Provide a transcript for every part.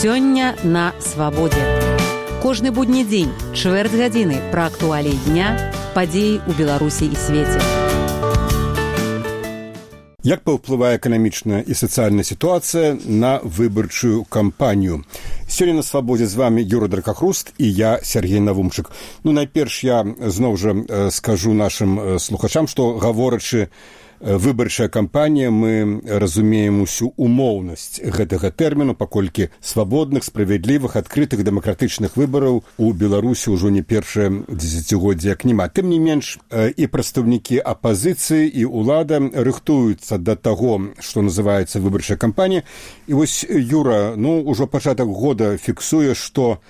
Сёння на свабодзе. Кожны будні дзень, чвэрць гадзіны пра актуаліі дня, падзеі ў Беларусі і свеце. Як паўплывае эканамічная і сацыяльная сітуацыя на выбарчую кампанію? Сёння на свабодзе з вами Юра Дракахруст і я, Сергей Навумчык. Найперш я зноў жа скажу нашым слухачам, што гаворачы выбарчая кампанія, мы разумеем усю умоўнасць гэтага тэрміну, паколькі свабодных, справядлівых, адкрытых, дэмакратычных выбараў у Беларусі ўжо не першае дзесяцігоддзе як няма. Тым не менш, і прадстаўнікі апазіцыі, і ўлада рыхтуюцца да таго, што называецца выбарчая кампанія. І вось Юра, ўжо пачатак года фіксуе, што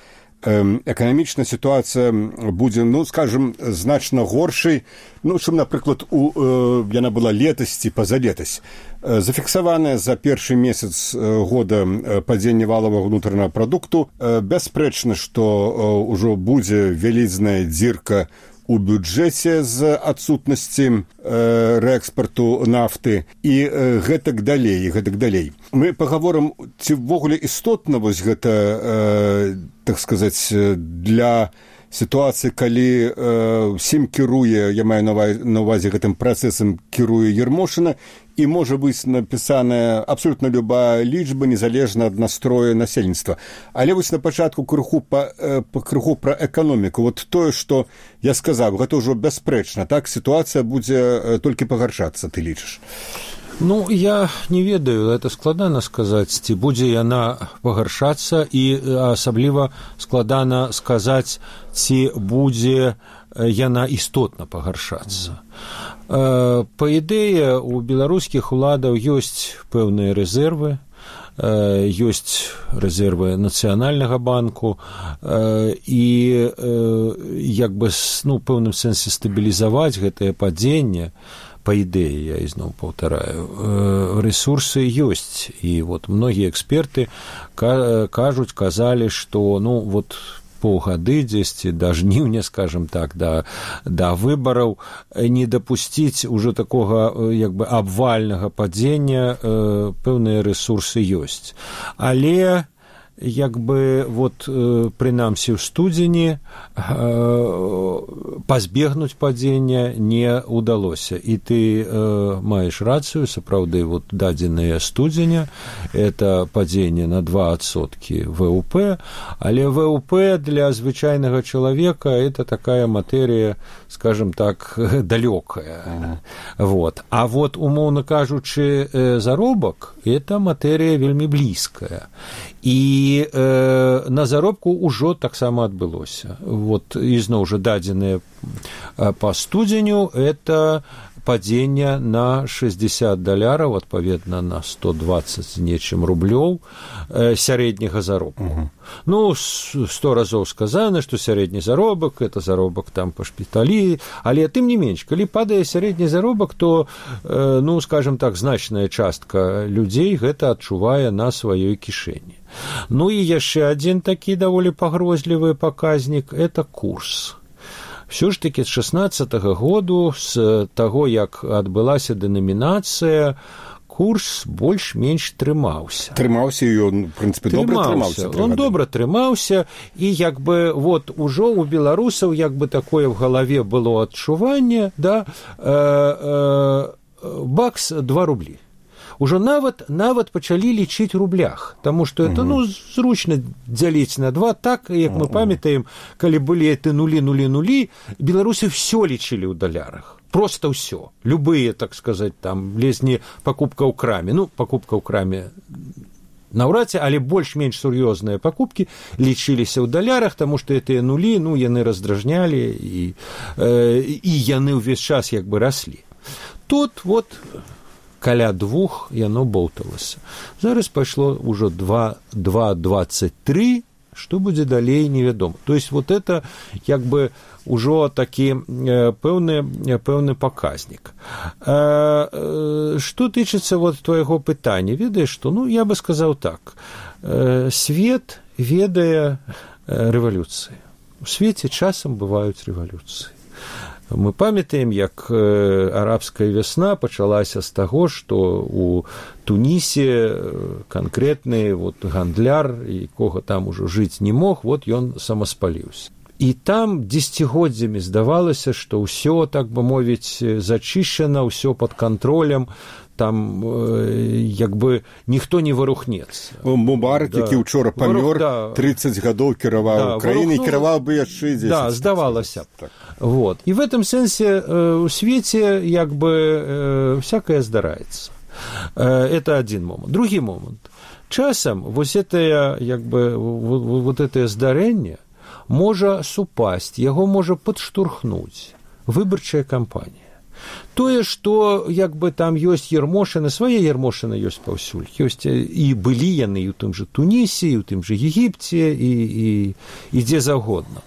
эканамічная сітуацыя будзе, скажем, значна горшай, чым, напрыклад, яна была летась ці пазалетась. Зафіксаванае за першы месяц года падзенне валавага ўнутранага прадукту. Бясспрэчна, што ўжо будзе вялізная дзірка у бюджэце з адсутнасці рээкспарту нафты і гэтак далей. Мы пагаворым, ці ўвогуле істотна вось гэта, так сказаць, для сітуацыі, калі ўсім кіруе, я маю на ўвазе гэтым працэсам кіруе Ермошына, і можа быць напісаная абсолютна любая лічба, незалежна ад настроя насельніцтва. Але вось на пачатку крыху пра эканоміку. Вот тое, што я сказаў, гэта ўжо бясспрэчна, так? Сітуацыя будзе толькі пагаршацца, ты лічыш? Я не ведаю, это складана сказаць, ці будзе яна пагаршацца, і асабліва складана сказаць, ці будзе яна істотна пагаршацца. Па ідэі, у беларускіх уладаў ёсць пэўныя рэзервы, ёсць рэзервы нацыянальнага банку, і як бы, пэўным сэнсе стабілізаваць гэтае падзенне, па ідэі, я ізноў паўтараю, рэсурсы ёсць. І многія эксперты казалі, што, паўгады дзесьці да жніўня, скажем так, да выбараў не дапусціць ужо такога абвальнага падзення, пэўныя рэсурсы ёсць. Але прынамсі ў студзені пазбегнуць падзення не ўдалося. І ты маеш рацыю, сапраўды, дадзеныя студзеня, это падзенне на 2% ВВП, але ВВП для звычайнага чалавека это такая матэрія, скажем так, далёкая. А умоўна кажучы, заробак это матэрія вельмі блізкая. І на заробку ўжо таксама адбылося. Ізноў жа дадзеныя па студзеню это падзенне на $60, адпаведна на 120 з нечым рублёў сярэдняга заробку. 100 разоў сказана, што сярэдні заробак – это заробак там па шпіталі, але тым не менш, калі падае сярэдні заробак, то, скажем так, значная частка людзей гэта адчувае на сваёй кішэні. І яшчэ адзін такі даволі пагрозлівы паказнік – это курс. Все ж таки з 16-го году, з таго, як адбылася дэнамінацыя, курс больш-менш трымаўся. Трымаўся, і ён, в прынцыпе, добра трымаўся. Он добра трымаўся, і ужо у беларусаў такое в галаве было адчуванне, бакс 2 рублі. Ужо нават пачалі лічыць рублях, таму што это, зручна дзяліць на 2, так, як мы памятаем, калі былі эти нулі, беларусы все лічылі ў далярах. Просто ўсё. Любые, так сказаць, там, лезні пакупка ў краме. Пакупка ў краме наўрад ці, але больш-менш сур'ёзныя пакупкі лічыліся ў далярах, таму што гэтыя нулі, яны раздражнялі, і яны ўвесь час раслі. Тут каля 2 яно болталася. Зараз пайшло ўжо 2,23, што будзе далей, невядома. То есть это ўжо такі пэўны паказнік. Што тычыцца твайго пытання, ведаеш што? Я бы сказаў так. Свет ведае рэвалюцыі. У свеце часам бываюць рэвалюцыі. Мы памятаем, як арабская вясна пачалася з таго, што у Тунісе канкрэтны гандляр, якога там ужо жыць не мог, ён самаспаліўся. І там дзесяцігоддзямі здавалася, што ўсё, так бы мовіць, зачышчана, ўсё пад кантролем, там ніхто не вырухнецца. Мубарак, які ўчора памёр, 30 гадоў кіраваў краінай, кіраваў бы яшчэ 10. Да, здавалася б. І в этом сэнсе у свеце всякое здараецца. Это один момент. Другі момент. Часам это здарэнне можа супасць, яго можа падштурхнуць выбарчая кампанія. Тое, што там ёсць ярмошыны, свае ярмошыны ёсць паўсюль. Ёсць і былі яны і ў тым жа Тунісе, і ў тым жа Егіпце, і дзе заўгодна.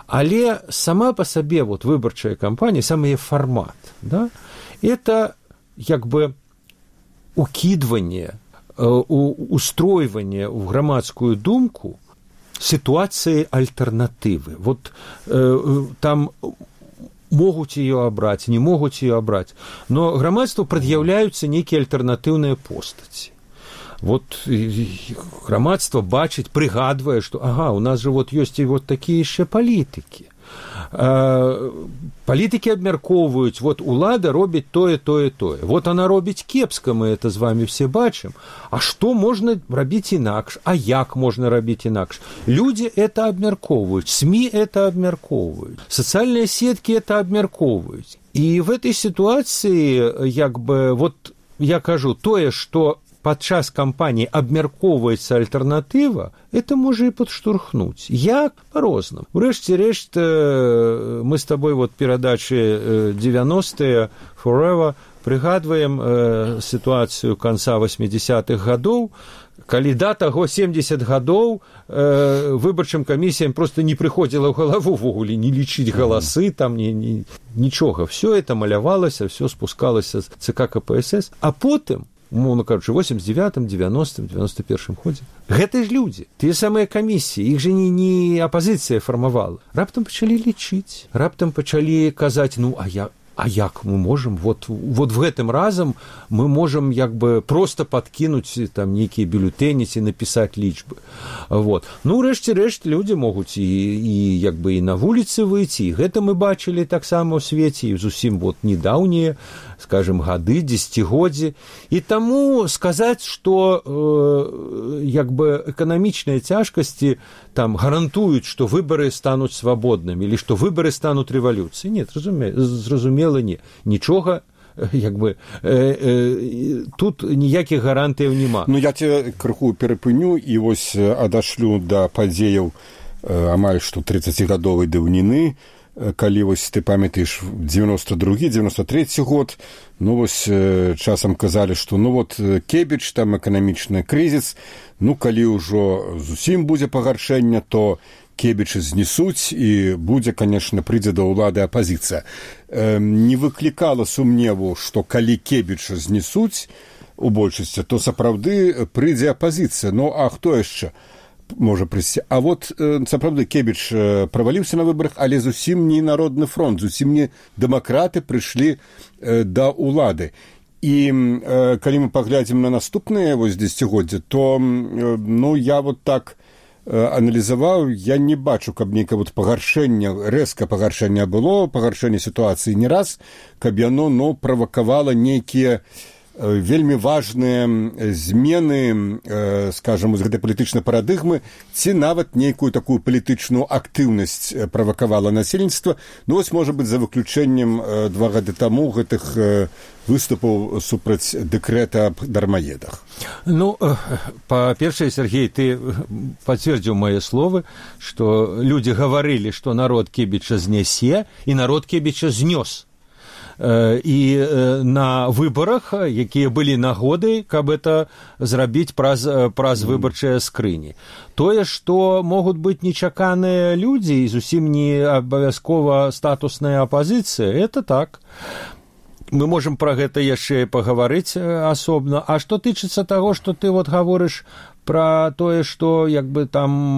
Але сама па сабе выбарчая кампанія, сам яе фармат, да, это укидванне, устройванне ў грамадскую думку ситуации альтернативы. Там могуць ее абраць, не могуць ее абраць, но грамадству прад'яўляюцца нейкія альтэрнатыўныя постаці. Грамадства бачыць, прыгадвае, што у нас же ёсць і такія яшчэ палітыкі. Палітыкі абмяркоўваюць, улада робіць тое. Она робіць кепска, мы это з вами все бачым. А што можна рабіць інакш? А як можна рабіць інакш? Людзі это абмяркоўваюць, СМИ это абмяркоўваюць, сацыяльныя сеткі это абмяркоўваюць. І в этой сітуацыі, я кажу, тое, што падчас кампаніі абмяркоўваецца альтэрнатыва, это можа і падштурхнуць. Як? Па-рознаму. Урэшце рэшт, мы з табой перадачы 90-е Forever прыгадваем сітуацыю канца 80-х гадоў, калі да таго 70 гадоў выбарчым камісіям проста не прыходзіла ў галаву ввогуле не лічыць галасы, там нічога. Все это малявалася, все спускалася з ЦК КПСС, а потым умоўно кажучы, 89-м, 90-м, 91-м годзе. Гэта ж людзі, тыя самыя камісіі, іх жа не апазіцыя фармавала. Раптам пачалі лічыць, раптам пачалі казаць, а як мы можам, в гэтым разам мы можам проста падкінуць там нейкія бюлетэні ці напісаць лічбы. Рэшце рэшт людзі могуць і на вуліцы выйти, і гэта мы бачылі таксама ў свеце, і зусім недаўнія, скажем, гады, дзесяцігоддзі. І таму сказаць, што эканамічныя цяжкасці там гарантуюць, што выбары стануць свабоднымі, или што выбары стануць рэвалюцыяй. Нет, зразумела, не. Нічога, тут ніякіх гарантыяў няма. Я цябе крыху перапыню і адашлю да падзеяў амаль што 30-гадовай даўніны, калі ты памятаеш 92-93 год, часам казалі, што Кебіч, там эканамічны крызіс, калі ўжо зусім будзе пагаршэнне, то Кебіча знесуць і будзе, конечно, прыйдзе да ўлады апазіцыя. Не выклікала сумневу, што калі Кебіча знесуць у большасці, то сапраўды прыйдзе апазіцыя. А хто яшчэ можа прыйсці? А сапраўды Кебіч праваліўся на выбарах, але зусім не Народны фронт, зусім не дэмакраты прыйшлі да ўлады. І калі мы паглядзім на наступныя дзесяцігоддзі, то я так аналізаваў, я не бачу, каб нейкае пагаршэнне, рэзка пагаршэнне было, пагаршэнне сітуацыі не раз, каб яно правакавала нейкія вельмі важныя змены, скажам, з гэтай палітычнай парадыгмы, ці нават нейкую такую палітычную актыўнасць правакавала насельніцтва. Можа быць, за выключэннем 2 гады таму гэтых выступаў супраць дэкрэта аб дармаедах. Па-першае, Сергей, ты пацвердзіў мае словы, што людзі гаварылі, што народ Кебіча знясе, і народ Кебіча знёс. І на выбарах, якія былі нагоды, каб это зрабіць праз выбарчыя скрыні. Тое, што могуць быць нечаканыя людзі і зусім не абавязкова статусная апазіцыя, это так. Мы можам пра гэта яшчэ пагаварыць асобна. А што тычыцца таго, што ты гаворыш пра тое, што як бы там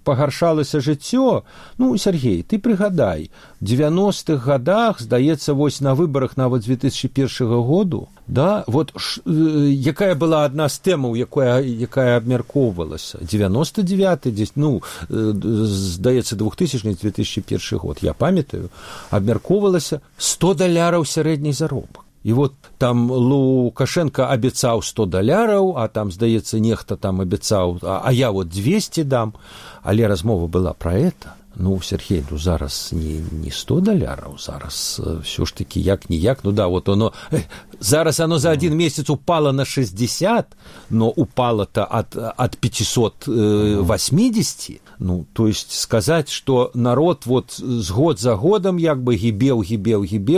пагаршалася жыццё, ну, Сергей, ты прыгадай, в 90-х годах, здаецца, вось на выбарах нават 2001 году, да, вот якая была адна з тэмаў, якая абмяркоўвалася, 99-й, ну, здаецца, 2000-2001 год, я памятаю, абмяркоўвалася $100 сярэдні заробак. І вот там Лукашенко абяцаў $100, а там, здаецца, нехта там абяцаў, а я вот 200 дам, але размова была пра это. Ну, Сергей, ну, зараз не $100, зараз все ж таки як-ніяк, ну да, вот оно, зараз оно за один месяц упало на 60, но упало-то от 580, ну, то есть сказать, что народ вот с год за годом як бы гибел,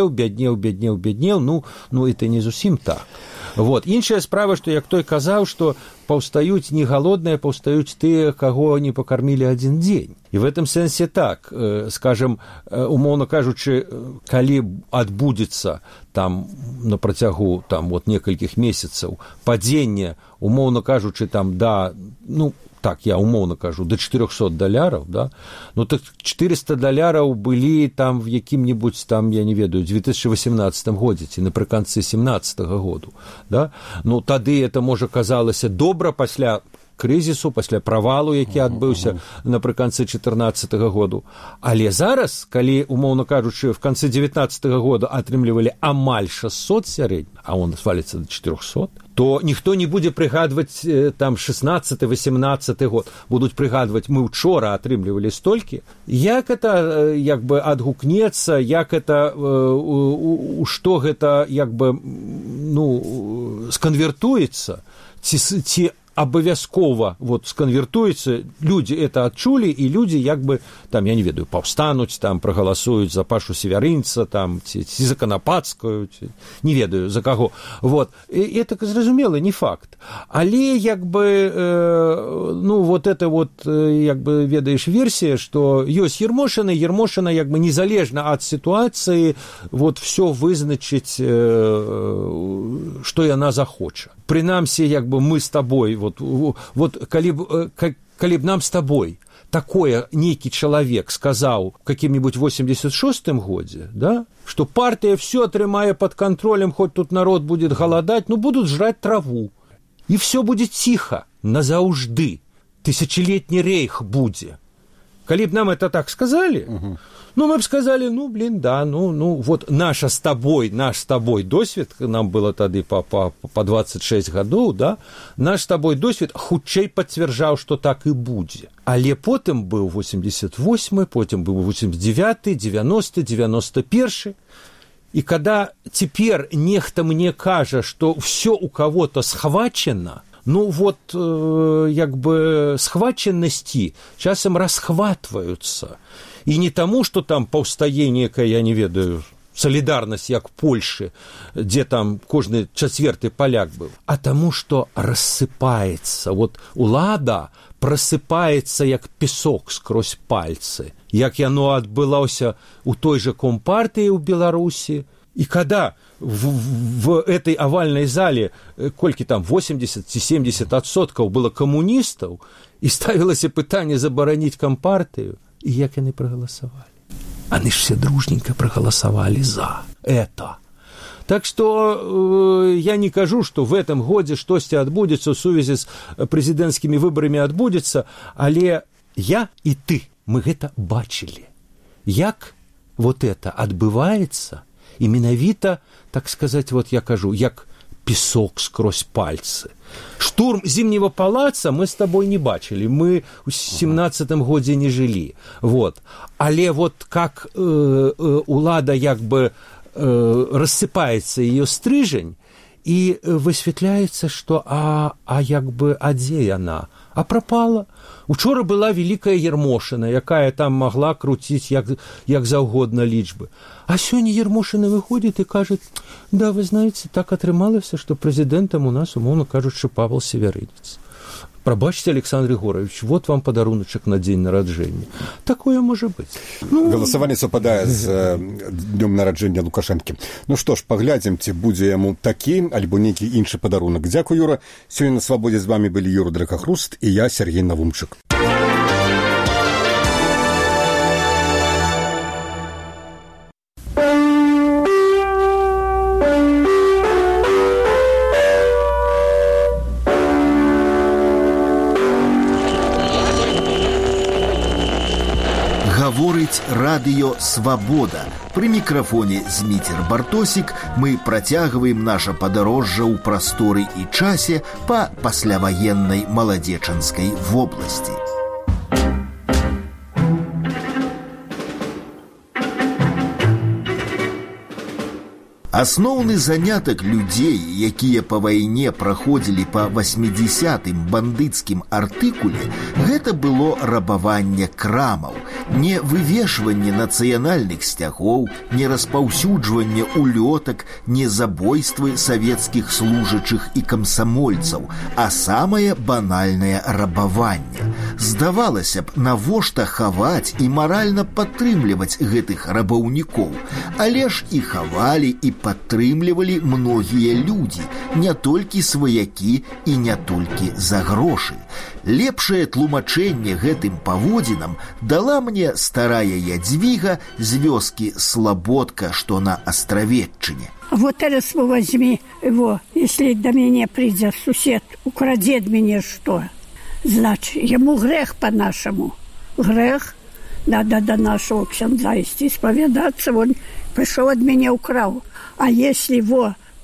бяднеў, ну, это не зусім так. Вот. Іншая справа, што як той казаў, што паўстаюць не галодныя, паўстаюць тыя, каго не пакармілі адзін дзень. І в этом сэнсе так, скажем, умоўна кажучы, калі адбудзецца там на працягу там вот некалькіх месяцаў падзенне, умоўна кажучы, там да, ну, так, я умоўна кажу, до $400, да? Ну, так $400 былі там в якім-небудзь там, я не ведаю, 2018 годзе, ці напрыканцы 17 году, да? Ну, тады это, можа, казалася добра пасля крызісу, пасля правалу, які адбыўся напрыканцы 14 году. Але зараз, калі, умоўна кажучы, в канцы 19 года атрымлівалі амаль 600 сярэдні, а он сваліцца до 400, то ніхто не будзе прыгадваць там 16-18 год. Будуць прыгадваць, мы учора атрымлівалі столькі. Як это як бы адгукнецца, як это, што гэта як бы, ну, сканвертуецца, ці абавязкова вот сканвертуецца, людзі это адчулі, і людзі як бы там, я не ведаю, паўстануць, там прагаласуюць за Пашу Севярынца, там ці за Канапацкую, ці, не ведаю за каго. Вот. І это зразумела, не факт. Але як бы ну вот это вот як бы ведаеш версія, што ёсць Ермошына як бы незалежна ад сітуацыі вот все вызначыць, што яна захоча. Прынамсі, як бы мы з табой вот калі б нам с тобой такое нейкі чалавек сказаў в каким-нибудь 86-м годзе, да, что партия все атрымае под контролем, хоть тут народ будет голодать, ну будут жрать траву, и все будет тихо назаўжды, тысячелетний рейх будзе. Калі б нам это так сказали, ну, мы бы сказали, ну, блин, да, ну, вот наш с тобой досвед, нам было тады по 26 гадоў, да, наш с тобой досвед хутчэй пацвярджаў, што так і будзе. Але потым быў 88-й, потым быў 89-й, 90-й, 91-й. И когда теперь нехта мне кажа, что все у кого-то схвачено, ну вот як бы схваченности часам расхватываются. И не тому, что там паўстае некая, я не ведаю, солидарность, як в Польше, где там кожны чацвёрты поляк был, а тому, что рассыпается. Вот улада просыпается, як песок скрозь пальцы. Як яно адбылося у той же Компартии у Беларуси. И когда в этой овальной зале, колькі там 80-70% было коммунистов, и ставилось пытание забараніць Компартию, и як яны проголосовали? Они ж все дружненько проголосовали за это. Так что я не кажу, что в этом годзе штосьці адбудзецца в сувязі с президентскими выборами адбудзецца, але я и ты, мы гэта бачили. Як вот это адбываецца, и менавіта, так сказать, вот я кажу, як песок скрозь пальцы. Штурм Зимнего палаца мы с тобой не бачили, мы в 17-м годзе не жили. Вот. Але вот как улада як бы рассыпается ее стрижень, и высветляется, что як бы, а дзе яна? А пропала. Учора была великая Ермошина, якая там могла крутить як заўгодна лічбы. А сёння Ермошина выходит и кажет, да, вы знаете, так атрымалася, что президентом у нас, умоўно кажучы, Павел Севярынец. Пробачьте, Александр Егорович, вот вам подаруночек на день народжения. Такое может быть. Голосование совпадает с днем народжения Лукашенко. Ну что ж, поглядим, ці будзе яму такі альбо нейкі іншы падарунак. Дзякуй, Юра. Сёння на свабодзе з вами былі Юра Дракахруст і я, Сергей Навумчык. Гаворыць радыё «Свабода». Пры мікрафоне Зміцер Бартосік мы працягваем наша падарожжа ў прасторы і часе па пасляваеннай маладзечанскай вобласці. Асноўны занятак людзей, якія па вайне праходзілі па 80-м бандыцкім артыкуле, гэта было рабаванне крамаў, не вывешванне нацыянальных сцягоў, не распаўсюджванне улётак, не забойствы савецкіх служачых і камсамольцаў, а самае банальнае рабаванне. Здавалася б, навошта хаваць і маральна падтрымліваць гэтых рабаўнікоў, але ж і хавалі, і падтрымлівалі многія людзі, не толькі сваякі і не толькі за грошы. Лепшае тлумачэнне гэтым паводзінам дала мне старая Ядвіга з вёскі Слободка, што на Астравеччыне. Вот teraz возьми его, если до меня придет сусед, украдет мне что? Значит, ему грех по-нашему. Грех. Надо до нашего ксяндза идти, исповедаться. Он пришел от меня, украл. А если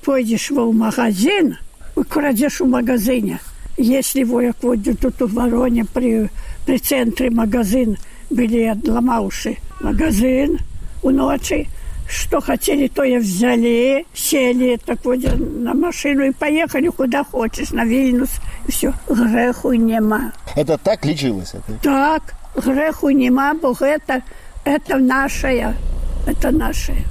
пойдешь в магазин, украдешь в магазине. Если як вот тут в Вороне при центре магазин были отломавши магазин у ночи, что хотели, то и взяли, сели так вот на машину и поехали куда хочешь, на Вильнюс. И все, греху нема. Это так лечилось? Так, греху нема, бо это наше. Это наше.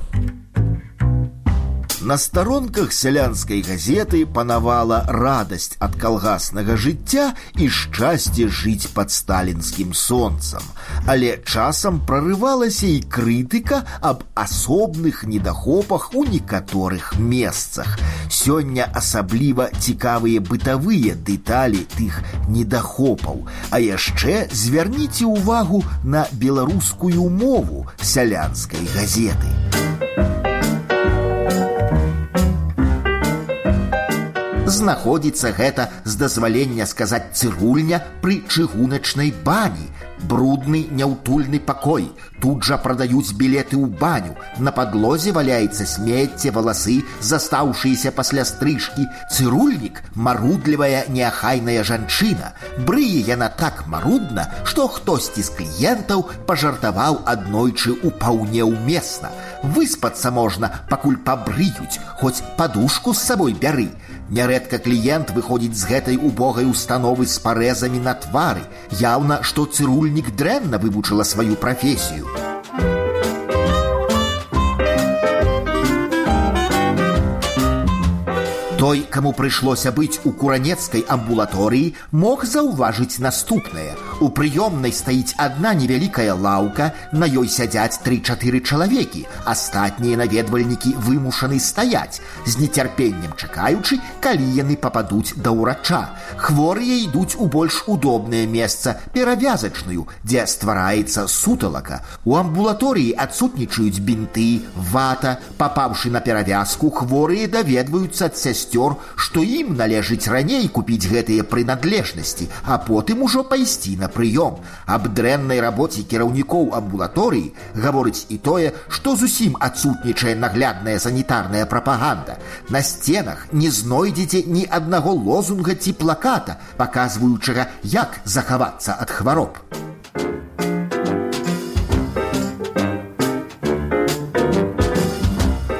На старонках сялянскай газеты панавала радасць ад калгаснага жыцця і шчасце жыць пад сталінскім сонцам. Але часам прарывалася і крытыка аб асобных недахопах у некаторых месцах. Сёння асабліва цікавыя бытавыя дэталі тых недахопаў. А яшчэ звярніце ўвагу на беларускую мову сялянскай газеты. Знаходзіцца гэта, з дазвалення сказаць, цырульня пры чыгуначнай бані. Брудны, няўтульны пакой. Тут жа прадаюць білеты ў баню. На падлозе валяецца смецце, валасы, застаўшыеся пасля стрыжкі. Цырульнік – марудлівая, неахайная жанчына. Брые яна так марудна, што хтосьці з кліентаў пажартаваў аднойчы упаўне ўмесна. Выспацца можна, пакуль пабрыюць, хоць падушку з сабой бяры. Нярэдка кліент выходзіць з гэтай убогай установы з парэзамі на твары. Яўна, што цырульнік дрэнна вывучыла сваю прафесію. Той, каму прыйшлося быць у куранецкай амбулаторыі, мог заўважыць наступнае. У прыёмнай стаіць адна невялікая лаўка, на ёй сядзяць 3-4 чалавекі. Астатнія наведвальнікі вымушаны стаяць, з нецярпеннем чакаючы, калі яны пападуць да ўрача. Хворыя ідуць у больш удобнае месца, перавязачную, дзе ствараецца суталака. У амбулаторыі адсутнічаюць бінты, вата. Папаўшы на перавязку, хворыя даведваюцца ад сясцёр, што ім належыць раней купіць гэтыя прынадлежнасці, а потым ужо пайсці на прыём. Аб дрэннай рабоце кіраўнікоў амбулаторыі гаворыць і тое, што зусім адсутнічае наглядная санітарная прапаганда. На сценах не знойдзеце ні аднаго лозунга ці плаката, паказваючага, як захавацца ад хвароб.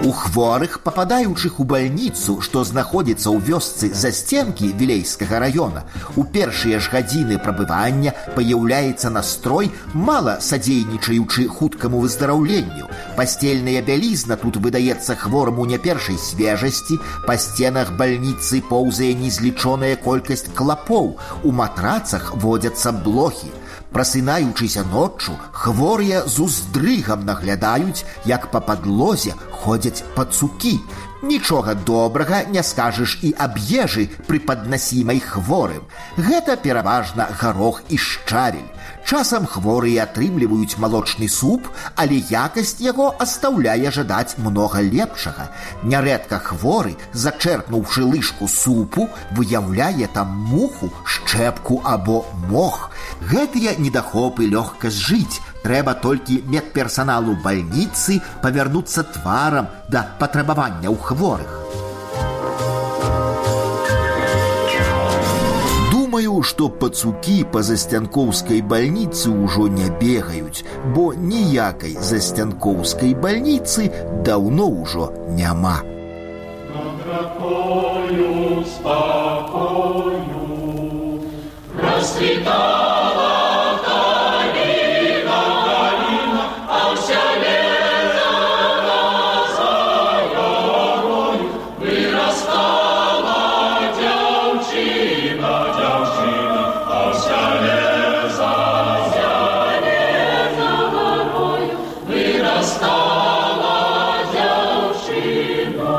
У хворых, попадаючых у бальніцу, што знаходзіцца ў вёсцы засценкі Вілейскага района, у першыя ж гадзіны прабывання паяўляецца настрой, мала садзейнічаючы хуткаму выздараўленню. Пасцельная бялізна тут выдаецца хвораму не першай свежасці, па сценах бальніцы поўзае незлічоная колькасць клапоў, у матрацах водзяцца блохі. Прасынаючыся ноччу, хворыя з уздрыгам наглядаюць, як па падлозе ходзяць пацукі. Нічога добрага не скажаш і аб ежы, прыпаднасімай хворым. Гэта пераважна гарох і шчавель. Часам хворыя атрымліваюць малочны суп, але якасць яго астаўляе жадаць многа лепшага. Нярэдка хворы, зачэрпнуўшы лыжку супу, выяўляе там муху, шчэпку або мох. Гэтыя недахопы лёгка зжыць. Трэба толькі медперсаналу бальніцы павярнуцца тварам да патрабаванняў хворых. Думаю, што пацукі па засцянкоўскай бальніцы ўжо не бегаюць, бо ніякай засцянкоўскай бальніцы даўно ўжо няма. Над ракою спакою расцвітала каліна, а ўся лета за горою вырастала дзяўчына, а ўся лета за горою вырастала дзяўчына.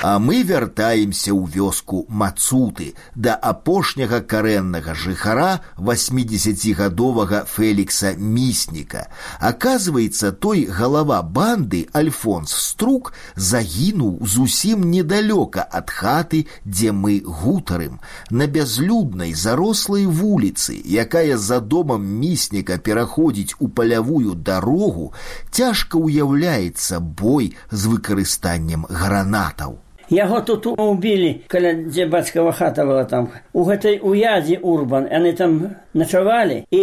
А мы вяртаемся ў вёску Мацуты да апошняга карэннага жыхара 80гадовага Фелікса Місніка. Аказваецца, той галава банды Альфонс Струк загінуў зусім недалёка ад хаты, дзе мы гутарым, на бязлюднай зарослай вуліцы, якая за домам Місніка пераходзіць у палявую дарогу, цяжка ўяўляецца бой з выкарыстаннем гранатаў. Яго тут убілі, каля дзе бацькава хата была там. У гэтай уядзе Урбан, яны там начавалі, і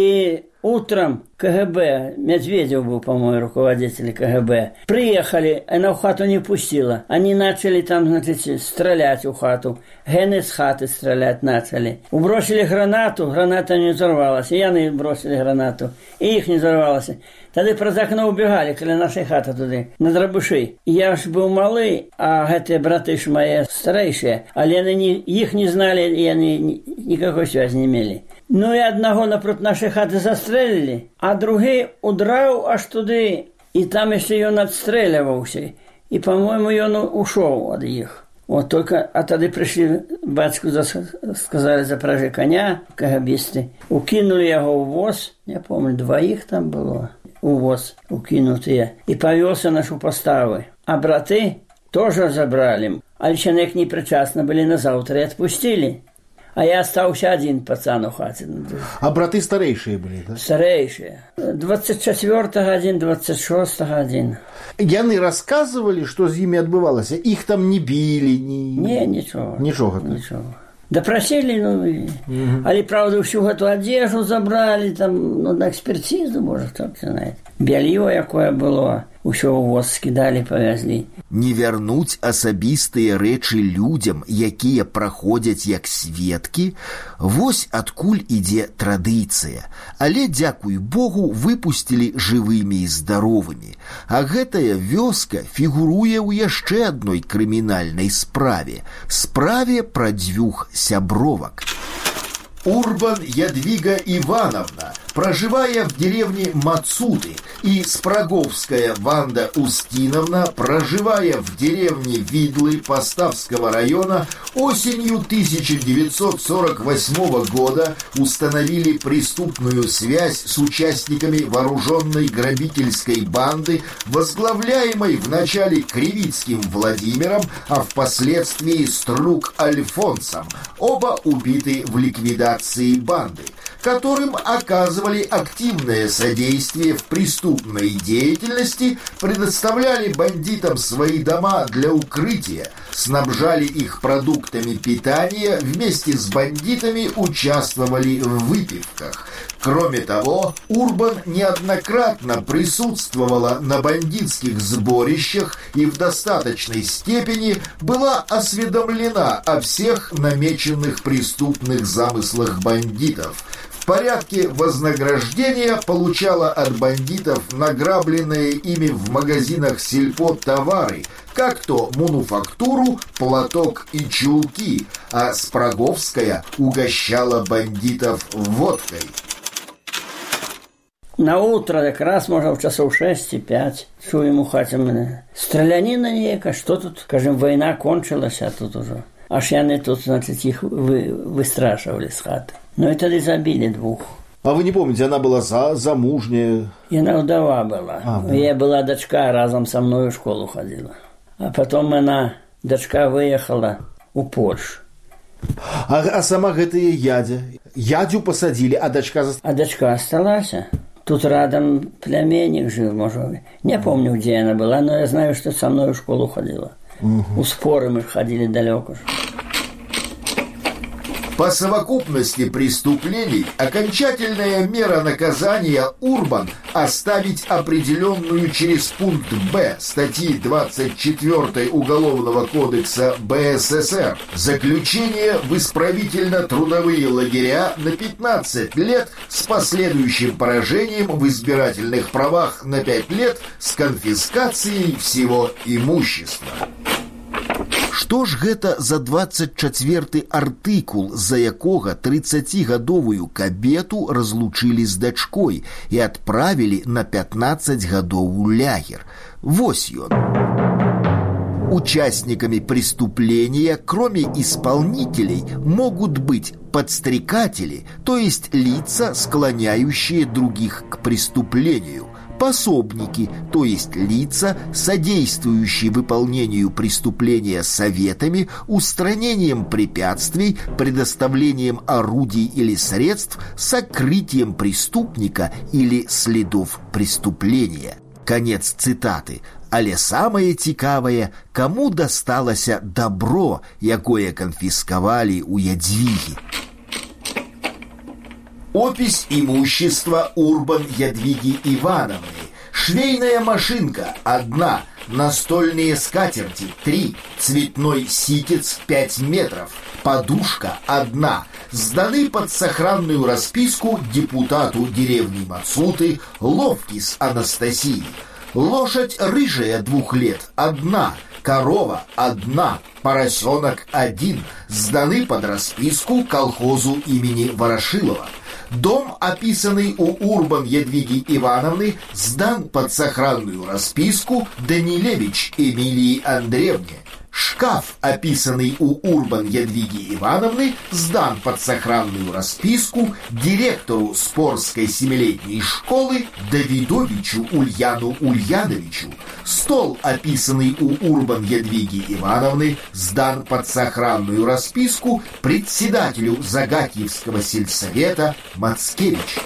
утром КГБ, Медведев был, по-моему, руководитель КГБ, приехали, она в хату не пустила. Они начали там, значит, стрелять в хату. Гены с хаты стрелять начали. Убросили гранату, граната не взорвалась. И яны бросили гранату, и их не взорвалась. Тогда про окно убегали, коли нашей хаты туда, на дробыши. Я ж был малый, а эти браты ж мои старейшие, але они их не знали, и они никакой связи не имели. Ну и одного напротив нашей хаты застрелили, а другий удрав аж туди, и там еще он отстреливался. И, по-моему, он ушел от них. Вот только, а тогда пришли, батьку сказали, запряжи коня, КГБисты. Укинули его в воз, я помню, двоих там было, у воз укинутые, и повелся нашу поставы. А браты тоже забрали, а человек непричастно были на завтра и отпустили. А я остался один пацан у хаты. А браты старейшие были, да? Старейшие. 24-го один, 26-го один. Яны рассказывали, что с ними отбывалось? Их там не били? Не, ничего. Ничего. Допросили, але, правда, всю эту одежду забрали, там, на экспертизу, может, кто-то знает. Белье, якое было, усё ў воз скидали, повезли. Не вярнуць асабістыя рэчы людзям, якія праходзяць як сведкі, вось адкуль ідзе традыцыя. Але, дзякуй Богу, выпусцілі жывымі і здаровымі. А гэтая вёска фігуруе ў яшчэ адной крымінальнай справе. Справе пра дзвюх сябровак. Урбан Ядвига Ивановна проживая в деревне Мацуты, и Спраговская Ванда Устиновна, проживая в деревне Видлы Поставского района, осенью 1948 года установили преступную связь с участниками вооруженной грабительской банды, возглавляемой вначале Кривицким Владимиром, а впоследствии Струк Альфонсом, оба убиты в ликвидации банды, которым оказывали активное содействие в преступной деятельности, предоставляли бандитам свои дома для укрытия, снабжали их продуктами питания, вместе с бандитами участвовали в выпивках. Кроме того, Урбан неоднократно присутствовала на бандитских сборищах и в достаточной степени была осведомлена о всех намеченных преступных замыслах бандитов. В порядке вознаграждения получала от бандитов награбленные ими в магазинах сельпо товары, как то мануфактуру, платок и чулки, а Спраговская угощала бандитов водкой. На утро якраз, можа, в часов 6-5, чуем у хаце мене. Стрелянина нейка, что тут, скажем, война кончилась, а тут уже. Аж яны тут, значит, их выстрашивали с хаты. Ну и тогда забили 2. А вы не помните, она была замужняя? Яна удова была. Я была дочка, разом со мной в школу ходила. А потом она, дочка, выехала у Польшу. А сама гэтая ядя? Ядю посадили, а дочка... А дочка осталась. Тут рядом племянник жил, может. Не помню, где она была, но я знаю, что со мной в школу ходила. У споры мы ходили далеко. По совокупности преступлений окончательная мера наказания Урбан оставить определенную через пункт Б статьи 24 Уголовного кодекса БССР заключение в исправительно-трудовые лагеря на 15 лет с последующим поражением в избирательных правах на 5 лет с конфискацией всего имущества. Што ж гэта за 24 артыкул, за якога 30гадовую кабету разлучылі з дачкой і адправілі на 15 гадоў у лагер? Вось ён. Участниками преступления, кроме исполнителей, могут быть подстрекатели, то есть лица, склоняющие других к преступлению, пособники, то есть лица, содействующие выполнению преступления советами, устранением препятствий, предоставлением орудий или средств, сокрытием преступника или следов преступления. Конец цитаты. Але самае цікавае, каму дасталася добро, якое канфіскавалі у Ядвігі. Опись имущества Урбан Ядвиги Ивановны. Швейная машинка – 1, настольные скатерти – 3, цветной ситец – 5 метров, подушка – 1, сданы под сохранную расписку депутату деревни Мацуты Ловкис Анастасии. Лошадь рыжая 2 лет – 1, корова – 1, поросенок – 1, сданы под расписку колхозу имени Ворошилова. Дом, описанный у Урбан Ядвиги Ивановны, сдан под сохранную расписку Данилевич Эмилии Андреевне. Шкаф, описанный у Урбан Ядвиги Ивановны, сдан под сохранную расписку директору Спорской 7-летней школы Давидовичу Ульяну Ульяновичу. Стол, описанный у Урбан Ядвиги Ивановны, сдан под сохранную расписку председателю Загатьевского сельсовета Мацкевич.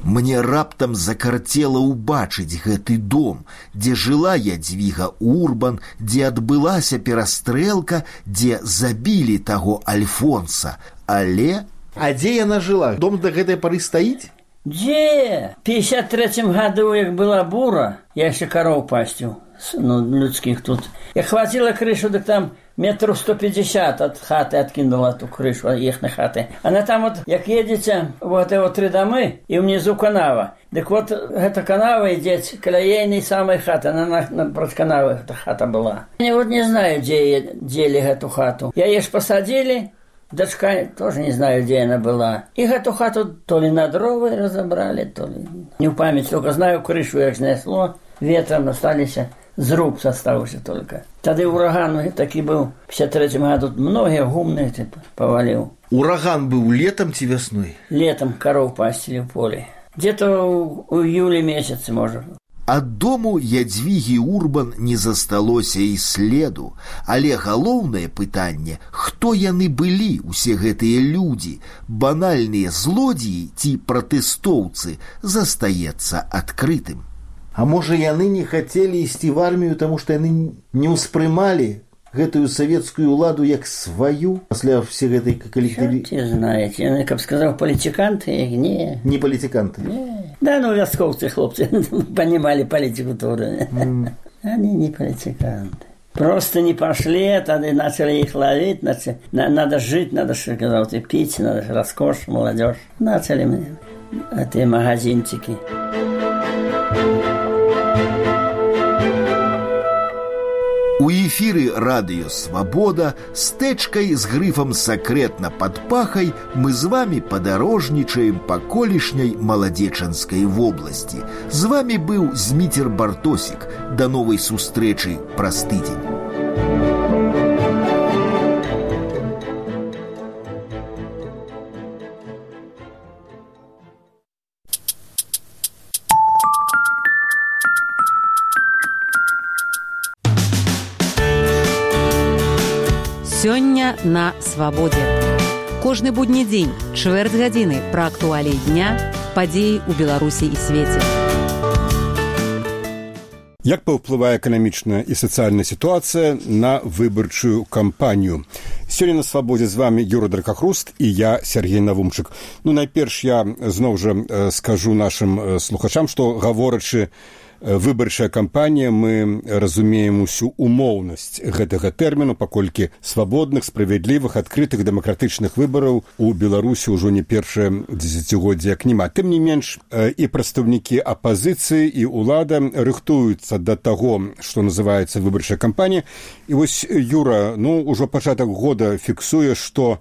Мне раптам закарцела ўбачыць гэты дом, дзе жыла Ядвіга Урбан, дзе адбылася перастрэлка, дзе забілі таго Альфонса. Але... А дзе яна жила? Дом до гэтай пары стаіць? Дзе? В 53-м году, як была бура, я яшчэ кароў пасціў, людских тут. Я хватила крышу, так там 150 от хаты откинула ту крышу ихной хаты. Она там вот, як едете, вот эти 3 домы, и внизу канава. Так вот, эта канава идет к ейной самой хаты. Она напротив канавы эта хата была. Я вот не знаю, где дели эту хату. Я ешь посадили, дочка тоже не знаю, где она была. И эту хату то ли на дрова разобрали, то ли... Не в память, только знаю, крышу як снесло, ветром остались... Зруб остался только. Тогда ураган таки был. В 53-м году многие гумные повалил. Ураган был летом ці весной? Летом коров пастили в поле. Где-то у июля месяца, может. Ад дому Ядвігі Урбан не засталося і следу. Але галоўнае пытанне, хто яны былі, усе гэтыя людзі, банальныя злодзеі ці пратэстоўцы, застаецца адкрытым. А можа, яны не хотели ісці в армію, тому что яны не ўспрымалі гэтую савецкую ўладу як сваю пасля всей гэтай калектыві... Чорт знаеце, яны, каб сказаў, палітыканты, не. Не палітыканты. Не. Да, ну, вяскоўцы, хлопцы, понимали политику тоже. Они не палітыканты. Просто не пошли, тогда начали их ловить, надо жить, надо, сказал, пить, надо роскошь, молодежь. Начали мне эти магазинчики. У эфіры радыё «Свабода» з тэчкай з грыфам «Сакрэтна пад пахай» мы з вами падарожнічаем па колішняй Маладзечанскай вобласці. З вами быў Зміцер Бартосік. Да новай сустрэчы праз тыдзень. Сёння на свабодзе. Кожны будні дзень, чвэрць гадзіны пра актуаліі дня, падзеі ў Беларусі і свеце. Як паўплывае эканамічная і сацыяльная сітуацыя на выбарчую кампанію? Сёння на свабодзе з вами Юра Дракахруст і я, Сергей Навумчык. Ну, найперш я зноў жа скажу нашым слухачам, што гаворачы выбарчая кампанія, мы разумеем усю умоўнасць гэтага тэрміну, паколькі свабодных, справядлівых, адкрытых, дэмакратычных выбараў у Беларусі ўжо не першае дзесяцігоддзе як няма. Тым не менш, і прадстаўнікі апазіцыі, і ўлада рыхтуюцца да таго, што называецца выбарчая кампанія. І вось Юра, ну, ужо пачатак года фіксуе, што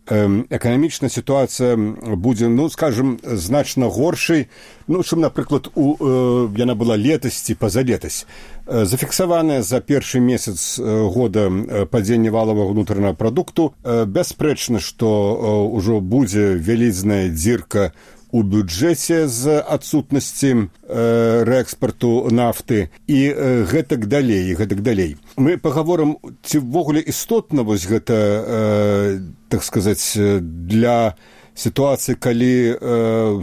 эканамічная сітуацыя будзе, ну, скажем, значна горшай, ну, чым, напрыклад, яна была летась ці пазалетась. Зафіксаванае за першы месяц года падзенне валавага ўнутранага прадукту. Бясспрэчна, што ўжо будзе вялізная дзірка у бюджэце з адсутнасці рээкспарту нафты і гэтак далей, гэтак далей. Мы пагаворым, ці ўвогуле істотна вось гэта, так сказаць, для сітуацыі, калі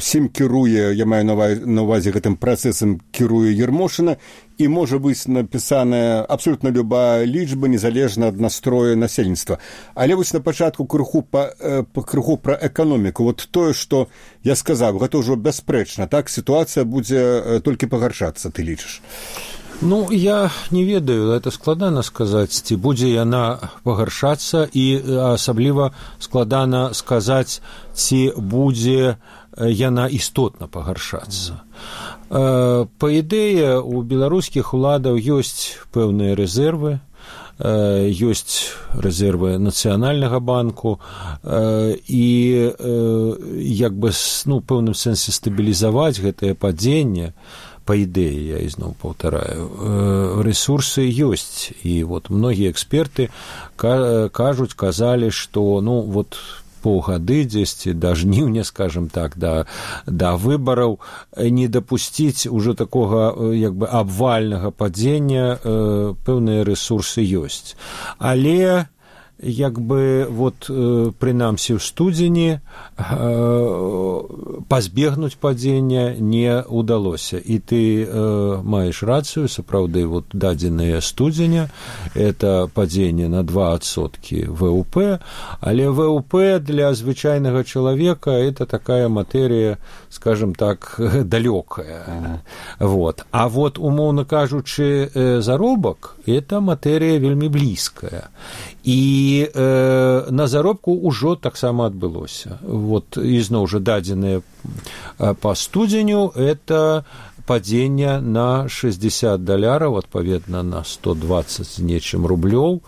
ўсім кіруе, я маю на ўвазе гэтым працэсам кіруе Ермошына, і можа быць напісаная абсолютна любая лічба, незалежна ад настроя насельніцтва. Але вось на пачатку крыху пра эканоміку. Вот тое, што я сказаў, гэта ўжо бясспрэчна, так? Сітуацыя будзе толькі пагаршацца, ты лічыш? Ну, я не ведаю, это складана сказаць, ці будзе яна пагаршацца, і асабліва складана сказаць, ці будзе яна істотна пагаршацца. Па ідэі, у беларускіх уладаў ёсць пэўныя рэзервы, ёсць рэзервы нацыянальнага банку, і як бы, ну, пэўным сэнсе стабілізаваць гэтае падзенне, па ідэі, я ізноў паўтараю, рэсурсы ёсць. І вот многія эксперты кажуць, казалі, што, ну, вот паўгады дзесьці да жніўня, скажем так, да выбараў не дапусціць ужо такога як бы абвальнага падзення, пэўныя рэсурсы ёсць. Але як бы вот прынамсі ў студзені пазбегнуць падзення не ўдалося. І ты маеш рацыю, сапраўды, вот дадзеныя студзеня, это падзенне на 2% ВВП, але ВВП для звычайнага чалавека это такая матэрія, скажем так, далёкая. Вот. А вот, умоўна кажучы, заробак это матэрія вельмі блізкая. І на заробку ўжо таксама адбылося. Вот, ізноў жа дадзеныя па студзеню, это падзення на $60, адпаведна на 120 з нечым рублёў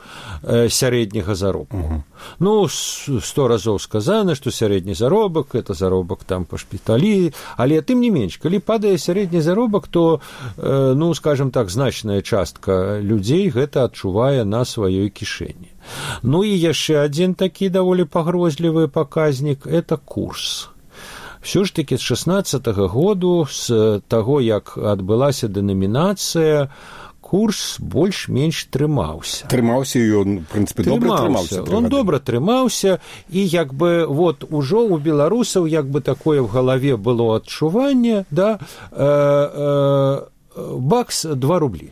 сярэдняга заробку. Ну, 100 разоў сказано, што сярэдні заробак, это заробак там па шпіталі, але тым не менш, калі падае сярэдні заробак, то, ну, скажем так, значная частка людзей гэта адчувае на сваёй кішэні. Ну і яшчэ адзін такі даволі пагрозлівы паказнік – это курс. Все ж таки з 16-го году, з таго, як адбылася дэнамінацыя, курс больш-менш трымаўся. Трымаўся, і ён, в прынцыпе, добра трымаўся. Он добра трымаўся, і як бы вот ужо у беларусаў як бы такое в галаве было адчуванне, да, бакс 2 рублі.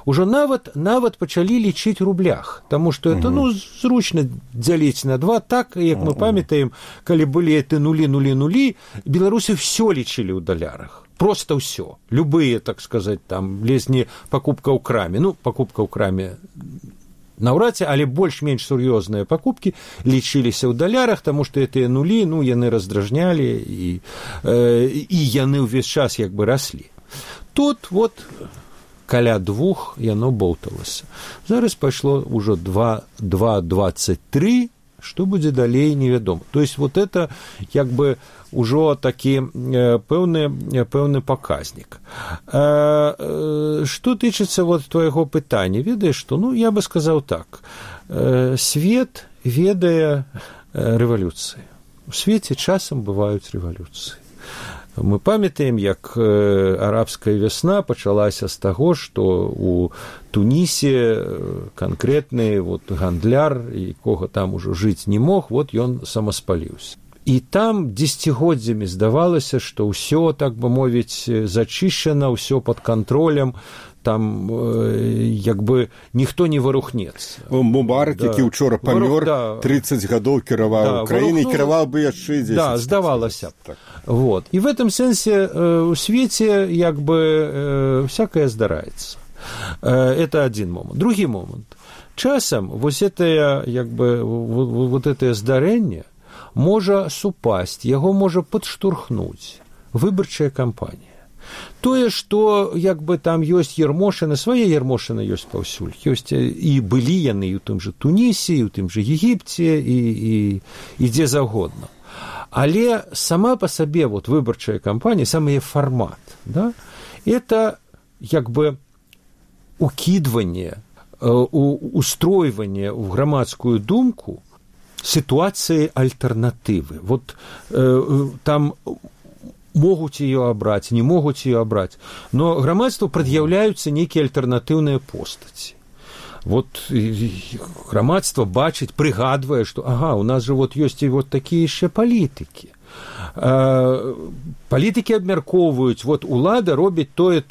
Ужо нават пачалі лічыць рублях, таму што это зручна дзяліць на 2, так, як мы памятаем, калі былі эти нулі, беларусы все лічылі ў далярах. Просто все. Любые, так сказать, там, лезні покупка ў краме. Ну, покупка ў краме наўрад ці, але больш-менш сур'ёзныя пакупкі лічыліся ў далярах, таму што гэтыя нулі, ну, яны раздражнялі, і яны ўвесь час як бы раслі. Тут вот каля 2 яно болталася. Зараз пайшло ўжо 2,23, што будзе далей, невядома. То есть вот это як бы ўжо такі пэўны паказнік. Што тычыцца вот твайго пытання, ведаеш, што, ну, я бы сказаў так, свет ведае рэвалюцыі. У свеце часам бываюць рэвалюцыі. Мы памятаем, як арабская вясна пачалася з таго, што у Тунісе канкрэтны вот гандляр, якога там ужо жыць не мог, вот ён самаспаліўся. І там дзесяцігоддзямі здавалася, што ўсё, так бы мовіць, зачышчана, ўсё пад кантролем, там як бы ніхто не варухнецца. Мубарак, які ўчора памёр, 30 гадоў кіраваў краінай, кіраваў бы яшчэ 10. Да, здавалася б. Так. Вот. І в этом сэнсе у свеце як бы всякое здараецца. Это один момент. Другі момент. Часам вось это як бы вот это здарэнне можа супасць, яго можа падштурхнуць выбарчая кампанія. Тое, што як бы там ёсць ярмошыны, свае ярмошыны ёсць паўсюль, ёсць і былі яны і ў тым жа Тунісе, і ў тым жа Егіпце, і дзе загодна. Але сама па сабе вот выбарчая кампанія, сам яе фармат, да, это як бы укидывание, устройвание в грамадскую думку ситуации альтернативы. Вот там могут ее обрать, не могут ее обрать, но грамадству предъявляются некие альтернативные постати. Вот грамадство бачыць, прыгадвае, што ага, у нас же вот ёсць і вот такія яшчэ палітыкі. Палітыкі абмяркоўваюць, вот улада робіць тое.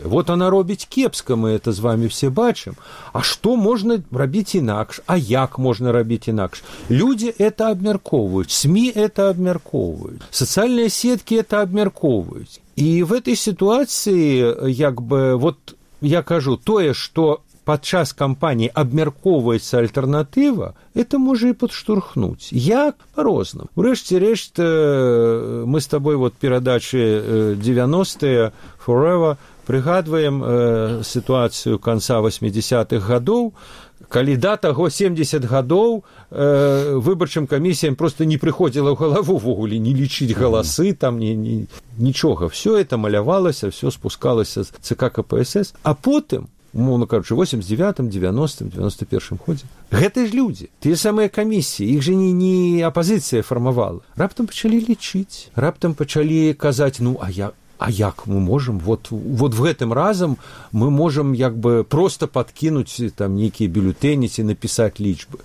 Вот она робіць кепска, мы это з вами все бачым. А што можна рабіць інакш? А як можна рабіць інакш? Людзі это абмяркоўваюць, СМИ это абмяркоўваюць, сацыяльныя сеткі это абмяркоўваюць. І в этой ситуации, як бы, вот я кажу, тое, што падчас кампаніі абмяркоўваецца альтэрнатыва, это можа і падштурхнуць. Як? Па-рознаму. Урэшце рэшт, мы з табой вот перадачы 90-е Forever прыгадваем сітуацыю канца 80-х гадоў, калі да таго 70 гадоў выбарчым камісіям просто не прыходзіла ў галаву ввогуле не лічыць галасы, там нічога. Все это малявалася, все спускалася з ЦК КПСС, а потым умоўно кажучы, 89-м, 90-м, 91-м годзе. Гэта ж людзі, тыя самыя камісіі, іх же не апазіцыя фармавала. Раптам пачалі лічыць, раптам пачалі казаць, ну, а як мы можем, вот в гэтым разам мы можем як бы просто подкинуть там нейкія бюлетэні ці напісаць лічбы.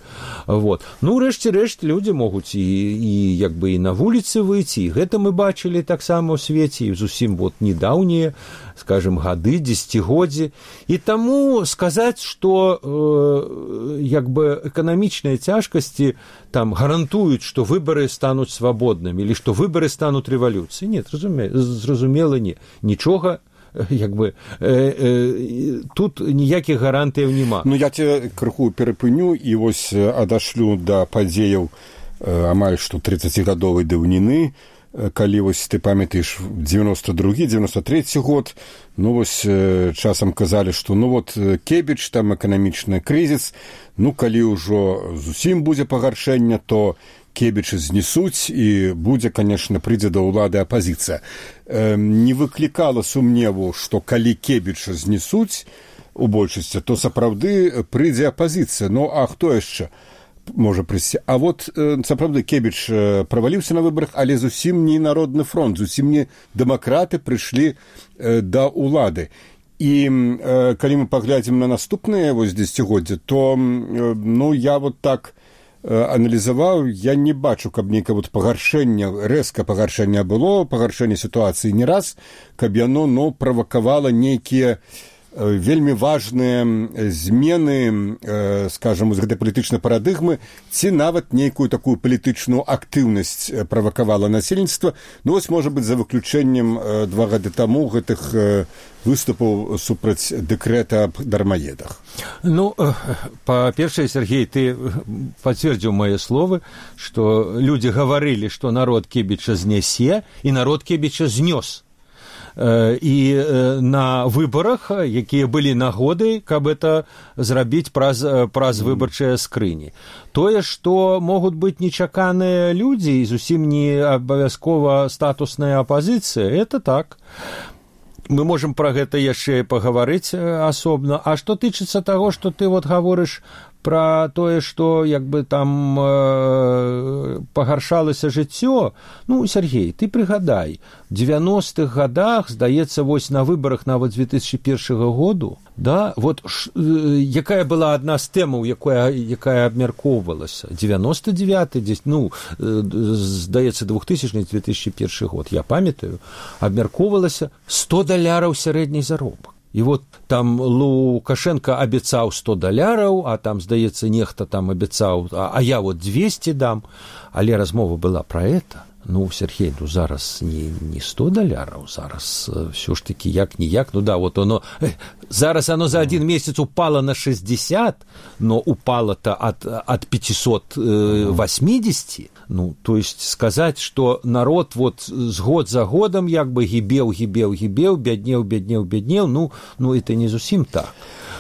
Вот. Ну, рэшце рэшт, людзі могуць і як бы і на вуліцы выйти, і гэта мы бачылі таксама ў свеце, і зусім вот недаўнія, скажем, гады, дзесяцігоддзі. І таму сказаць, што як бы эканамічныя цяжкасці там гарантуюць, што выбары стануць свабоднымі, или што выбары стануць рэвалюцыяй. Нет, зразумела, не. Нічога, як бы, тут ніякіх гарантыяў няма. Ну, я тебе крыху перапыню і вось адашлю да падзеяў амаль што 30-гадовай даўніны, калі вось ты памятаеш 92-93 год, ну вось часам казалі, што ну вот Кебіч, там эканамічны крызіс, ну калі ўжо зусім будзе пагаршэнне, то Кебіча знесуць і будзе, конечно, прыйдзе да ўлады апазіцыя. Не выклікала сумневу, што калі Кебіча знесуць у большасці, то сапраўды прыйдзе апазіцыя. Ну, а хто яшчэ можа прыйсці? А вот сапраўды Кебіч праваліўся на выбарах, але зусім не Народны фронт, зусім не дэмакраты прыйшлі да ўлады. І калі мы паглядзім на наступныя вось дзесяцігоддзі, то ну, я вот так аналізаваў, я не бачу, каб нейкае вот пагаршэнне, рэзка пагаршэнне было, пагаршэнне сітуацыі не раз, каб яно, ну, правакавала нейкія вельмі важныя змены, скажам, з гэтай палітычнай парадыгмы, ці нават нейкую такую палітычную актыўнасць правакавала насельніцтва. Ну, вось, можа быць, за выключэннем 2 гады таму гэтых выступаў супраць дэкрэта аб дармаедах. Ну, па-першае, Сергей, ты пацвердзіў мае словы, што людзі гаварылі, што народ Кебіча знясе, і народ Кебіча знёс. І на выбарах, якія былі нагоды, каб это зрабіць праз выбарчыя скрыні. Тое, што могуць быць нечаканыя людзі і зусім не абавязкова статусная апазіцыя, это так. Мы можам пра гэта яшчэ пагаварыць асобна. А што тычыцца таго, што ты вот гаворыш пра тое, што як бы там пагаршалася жыццё, ну, Сергей, ты прыгадай, в 90-х годах, здаецца, вось на выбарах нават 2001 году, да, вот якая была адна з тэмаў, якая абмяркоўвалася, 99-й, ну, здаецца, 2000-2001 год, я памятаю, абмяркоўвалася $100 сярэдні заробак. І вот там Лукашенко абяцаў $100, а там, здаецца, нехта там абяцаў, а я вот 200 дам, але размова была пра это. Ну, Сергей, ну, зараз не $100, зараз все ж таки як-ніяк, ну да, вот оно, зараз оно за один месяц упало на 60, но упало-то от 580, ну, то есть сказать, что народ вот с год за годом як бы гибел, бяднеў, ну, это не зусім так.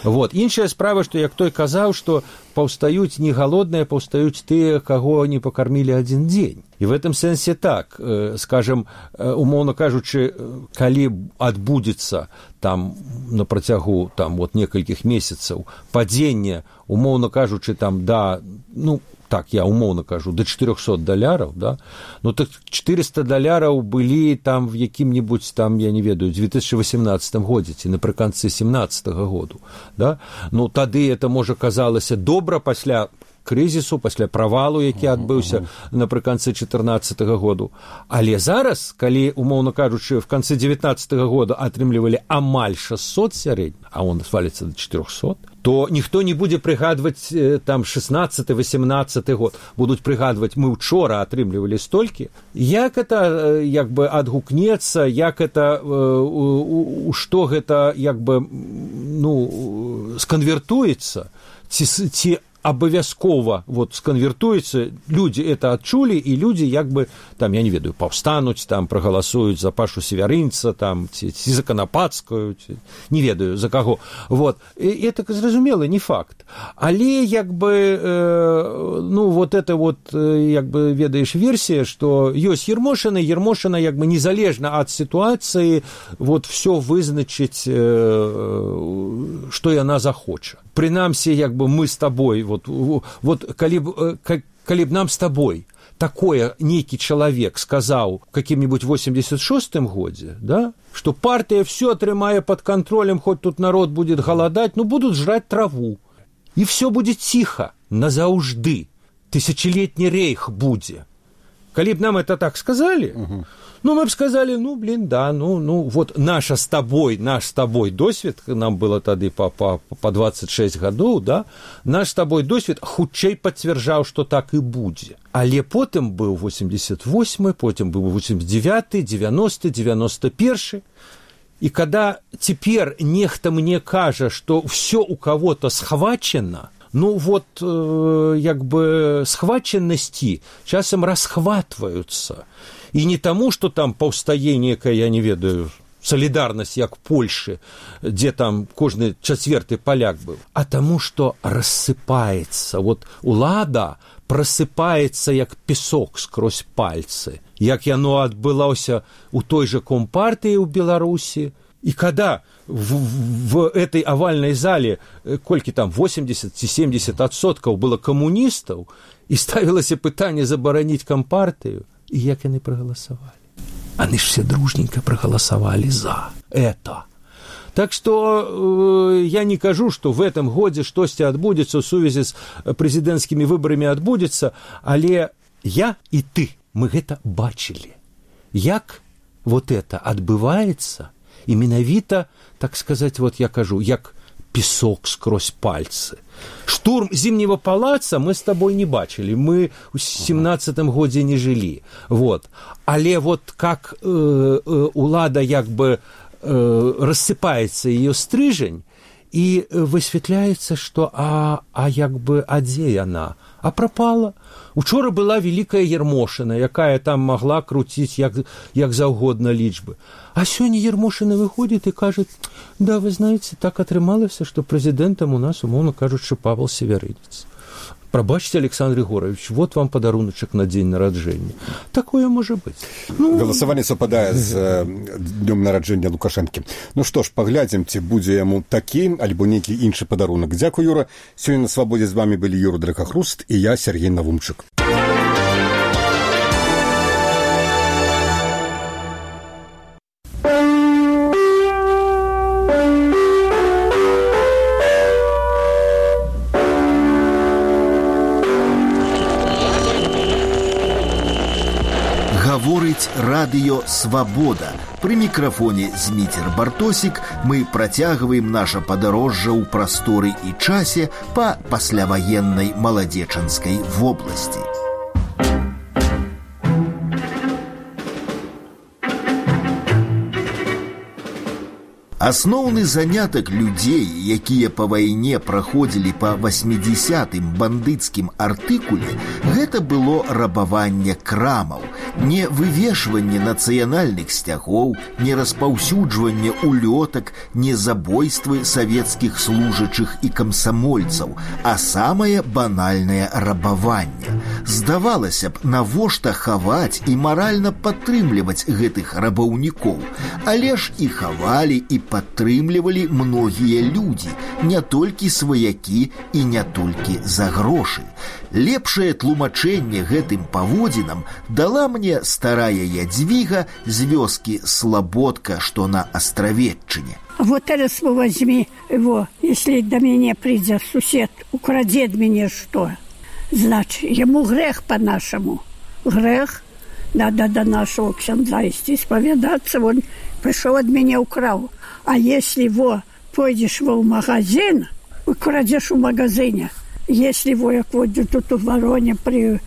Вот. Іншая справа, што як той казаў, што паўстаюць не галодныя, паўстаюць тыя, каго не пакармілі адзін дзень. І в этом сэнсе так, скажем, умоўна кажучы, калі адбудзецца там на працягу там вот некалькіх месяцаў падзення, умоўна кажучы, там да, ну, так, я умоўна кажу, до $400, да? Ну, так $400 былі там в якім-небудзь там, я не ведаю, 2018 годзе, ці напрыканцы 17 году, да? Ну, тады это, можа, казалася добра пасля крызісу, пасля правалу, які адбыўся напрыканцы 14 году. Але зараз, калі, умоўна кажучы, в канцы 19 года атрымлівалі амаль 600 сярэдні, а он сваліцца до 400, то ніхто не будзе прыгадваць там 16-18 год. Будуць прыгадваць, мы учора атрымлівалі столькі. Як это як бы адгукнецца, як это, што гэта як бы, ну, сканвертуецца, ці абавязкова вот сканвертуецца, людзі это адчулі, і людзі як бы там, я не ведаю, паўстануць, там прагаласуюць за Пашу Севярынца, там ці за Канапацкую, не ведаю за каго. Вот. І это зразумела, не факт. Але як бы ну вот это вот як бы ведаеш версія, што ёсць Ермошына як бы незалежна ад сітуацыі вот всё вызначыць, што яна захоча. Прынамсі, як бы мы з табой, вот калі б нам з табой такое нейкі чалавек сказаў в каким-нибудь 86-м годзе, да, что партия все атрымае под контролем, хоть тут народ будет голодать, ну будут жрать траву, и все будет тихо назаўжды, тысячелетний рейх будзе. Калі б нам это так сказали, ну, мы бы сказали, ну, блин, да, ну, вот наш с тобой досвед, нам было тады по 26 гадоў, да, наш с тобой досвед хутчэй пацвярджаў, што так і будзе. Але потым быў 88-й, потым быў 89-й, 90-й, 91-й. И когда теперь нехта мне кажа, что все у кого-то схвачено, ну вот як бы схваченности часам расхватываются. И не тому, что там паўстае некая, я не ведаю, солидарность, як Польши, где там кожны чацвёрты поляк был, а тому, что рассыпается. Вот улада просыпается, як песок скрозь пальцы. Як яно адбылося у той же Компартии у Беларуси. И когда в этой овальной зале, кольки там 80-70% было коммунистов, и ставилось пытание забараніць Компартию, и як яны проголосовали? Они ж все дружненько проголосовали за это. Так что я не кажу, что в этом годе штосьці адбудзецца в сувязі с президентскими выборами адбудзецца, але я и ты, мы гэта бачили. Як вот это адбываецца, і менавіта, так сказаць, вот я кажу, як песок скрозь пальцы. Штурм Зимнего палаца мы с тобой не бачили, мы в 17-м годзе не жылі. Вот. Але вот как улада як бы рассыпается ее стрыжень, и высветляется, что як бы, а дзе яна? А пропала. Учора была великая Ермошина, якая там могла крутить як заўгодна лічбы. А сёння Ермошина выходит и кажет, да, вы знаете, так атрымалася, что президентом у нас, умовно кажучы, Павел Северынец. Прабачьте, Александр Егорович, вот вам подаруночек на день нараджэння. Такое может быть. Галасаванне супадае з днём нараджэння Лукашэнкі. Ну што ж, паглядзім, ці будзе яму такі альбо нейкі іншы падарунак. Дзякуй, Юра. Сёння на свабодзе з вами былі Юра Дракахруст і я, Сергей Навумчык. Гаворыць радыё «Свабода». Пры мікрафоне Зміцер Бартосік мы працягваем наша падарожжа ў прасторы і часе па пасляваеннай маладзечанскай вобласці. Асноўны занятак людзей, якія па вайне праходзілі па 80-м бандыцкім артыкуле, гэта было рабаванне крамаў, не вывешванне нацыянальных сцягоў, не распаўсюджванне улётак, не забойствы савецкіх служачых і камсамольцаў, а самае банальнае рабаванне. Здавалася б, навошта хаваць і маральна падтрымліваць гэтых рабаўнікоў, але ж і хавалі, і падтрымлівалі многія людзі, не толькі сваякі і не толькі за грошы. Лепшае тлумачэнне гэтым паводзінам дала мне старая Ядвіга з вёскі Слободка, што на Астравеччыне. Вот teraz возьми его, если до меня придет сусед, украдет мне что? Значит, ему грех по-нашему. Грех, надо до нашего ксяндза идти исповедаться, он пришел от меня украл. А если его пойдешь в магазин, украдешь в магазине, если его, як вот тут в Вороне при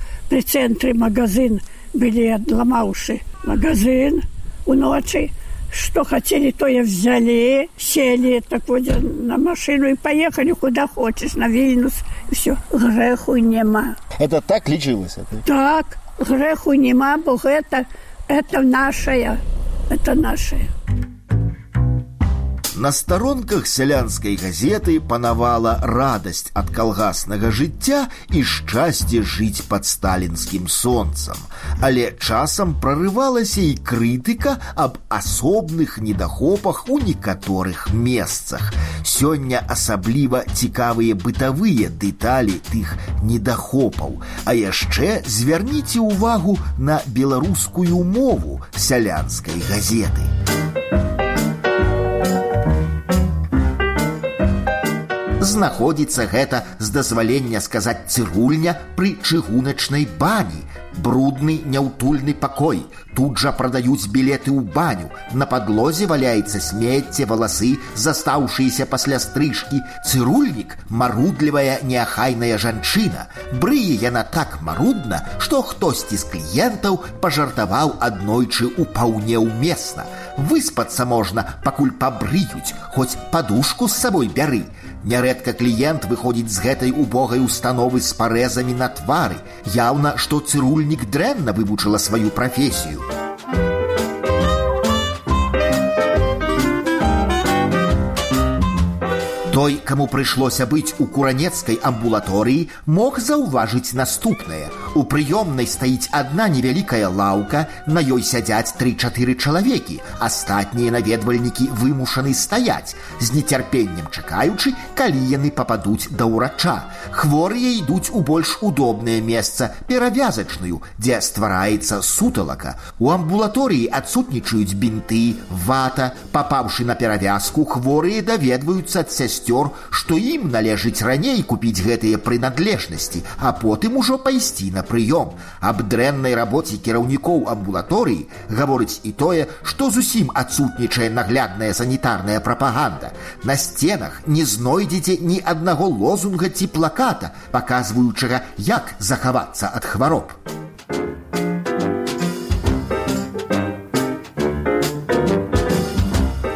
центре магазин были отломавши магазин у ночи, что хотели, то и взяли, сели так вот на машину и поехали куда хочешь, на Вильнюс, и все, греху нема. Это так лечилось? Так, греху нема, бо это нашее, это нашее. На старонках сялянскай газеты панавала радасць ад калгаснага жыцця і шчасце жыць пад сталінскім сонцам. Але часам прарывалася і крытыка аб асобных недахопах у некаторых месцах. Сёння асабліва цікавыя бытавыя дэталі тых недахопаў. А яшчэ звярніце ўвагу на беларускую мову сялянскай газеты. Знаходзіцца гэта, з дазвалення сказаць, цырульня пры чыгуначнай бані. Брудны, няўтульны пакой. Тут жа прадаюць білеты ў баню. На падлозе валяецца смецце, валасы, застаўшыеся пасля стрыжкі. Цырульнік – марудлівая, неахайная жанчына. Брые яна так марудна, што хтосьці з кліентаў пажартаваў аднойчы ўпаўне ўмесна. Выспацца можна, пакуль пабрыюць, хоць падушку з сабой бяры. Нярэдка кліент выходзіць з гэтай убогай установы з парэзамі на твары. Яўна, што цырульнік дрэнна вывучыла сваю прафесію. Той, каму прыйшлося быць у куранецкай амбулаторыі, мог заўважыць наступнае. У прыёмнай стаіць адна невялікая лаўка, на ёй сядзяць 3-4 чалавекі, астатнія наведвальнікі вымушаны стаяць, з нецярпеннем чакаючы, калі яны пападуць да ўрача. Хворыя ідуць у больш удобнае месца, перавязачную, дзе ствараецца суталака. У амбулаторыі адсутнічаюць бінты, вата. Папаўшы на перавязку, хворыя даведваюцца ад сясцёр, сясцёр, што ім належыць раней купіць гэтыя прынадлежнасці, а потым ужо пайсці на прыём. Аб дрэннай рабоце кіраўнікоў амбулаторыі гаворыць і тое, што зусім адсутнічае наглядная санітарная прапаганда. На сценах не знойдзеце ні аднаго лозунга ці плаката, паказваючага, як захавацца ад хвароб.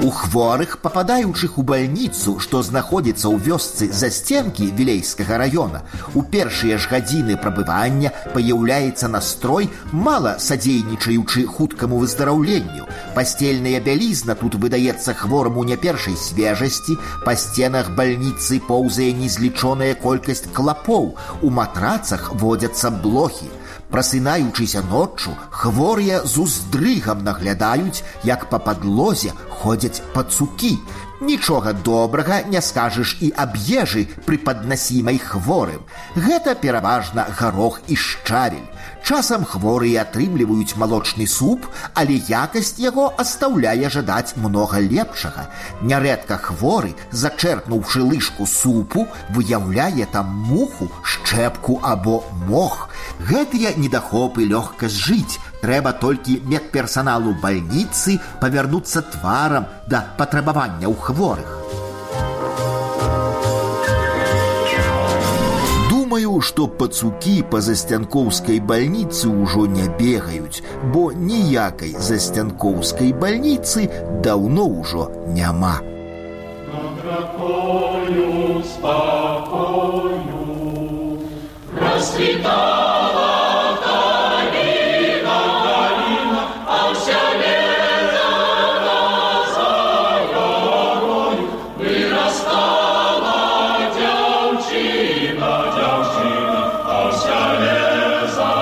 У хворых, пападаючых у бальніцу, што знаходзіцца ў вёсцы Засценкі Вілейскага раёна, у першыя ж гадзіны прабывання паяўляецца настрой, мала садзейнічаючы хуткаму выздараўленню. Пасцельная бялізна тут выдаецца хвораму не першай свежасці, па сценах бальніцы поўзае незлічоная колькасць клапоў, у матрацах водзяцца блохі. Прасынаючыся ноччу, хворыя з уздрыгам наглядаюць, як па падлозе ходзяць пацукі. Нічога добрага не скажаш і аб ежы, прыпаднасімай хворым. Гэта пераважна гарох і шчавель. Часам хворыя атрымліваюць малочны суп, але якасць яго астаўляе жадаць многа лепшага. Нярэдка хворы, зачэрпнуўшы лыжку супу, выяўляе там муху, шчэпку або мох. Гэтыя недахопы лёгка зжыць. Трэба толькі медперсаналу бальніцы павярнуцца тварам да патрабаванняў хворых. Думаю, што пацукі па Засцянкоўскай бальніцы ўжо не бегаюць, бо ніякай Засцянкоўскай бальніцы даўно ўжо няма. Над ракою спакою расцвітала каліна, а ўся лета за горою вырастала дзяўчына, а ўся лета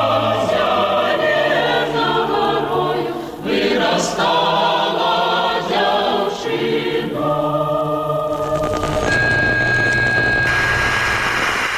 за горою вырастала дзяўчына.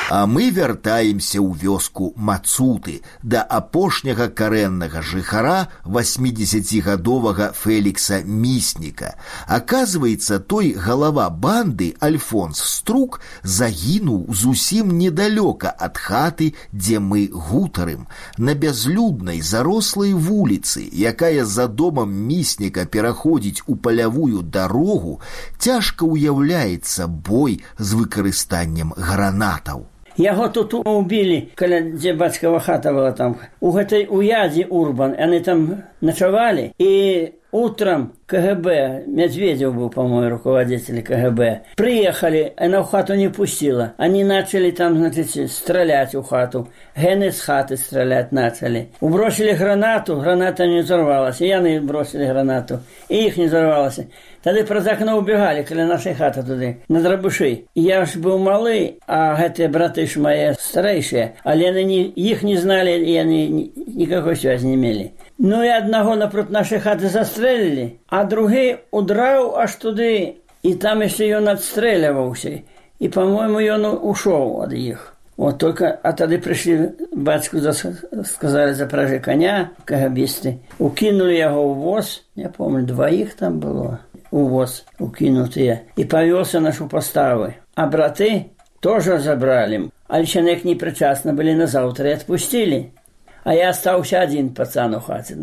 А мы вяртаемся ў вёску Мацуты, да апошняга карэннага жыхара 80гадовага Фелікса Місніка. Аказваецца, той галава банды Альфонс Струк загінуў зусім недалёка ад хаты, дзе мы гутарым, на бязлюднай зарослай вуліцы, якая за домам Місніка пераходзіць у палявую дарогу, цяжка ўяўляецца бой з выкарыстаннем гранатаў. Яго тут убілі, каля дзе бацькава хата была там. У гэтай уядзе Урбан, яны там начавалі, і утром КГБ, Медведев был, по-моему, руководитель КГБ, приехали, она в хату не пустила. Они начали там, значит, стрелять в хату. Гены с хаты стрелять начали. Убросили гранату, граната не взорвалась. И яны бросили гранату, и их не взорвалось. Тогда про окно убегали, каля нашей хаты туды, на Драбуши. Я ж был малый, а эти браты ж мои старейшие, але они их не знали, и они никакой связи не имели. Ну и одного напротив нашей хаты застрелили, а другий удрав аж туди, и там еще он отстреливался. И, по-моему, он ушел от них. Вот только, а тогда пришли, батьку сказали, запряжи коня, КГБисты. Укинули его в воз, я помню, двоих там было, у воз укинутые. И повелся нашу поставы. А браты тоже забрали. А личинек непричастно были на завтра и отпустили. А я остался один пацан у хаты.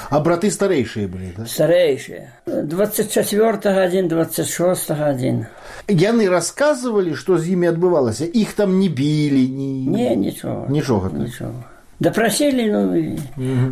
А браты старейшие были, да? Старейшие. 24-го один, 26-го один. Яны рассказывали, что с ними отбывалось? Их там не били? Не, ничего. Ничего. Допросили,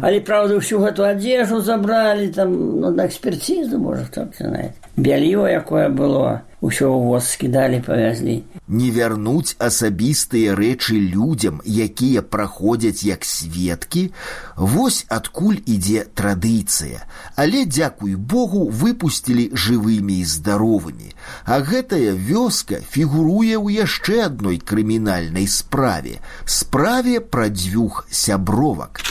але, правда, всю эту одежду забрали, там, на экспертизу, может, кто-то знает. Белье якое было, усё ў воз скидали, повезли. Не вярнуць асабістыя рэчы людзям, якія праходзяць як сведкі, вось адкуль ідзе традыцыя. Але, дзякуй Богу, выпусцілі жывымі і здаровымі. А гэтая вёска фігуруе ў яшчэ адной крымінальнай справе. Справе пра дзвюх сябровак.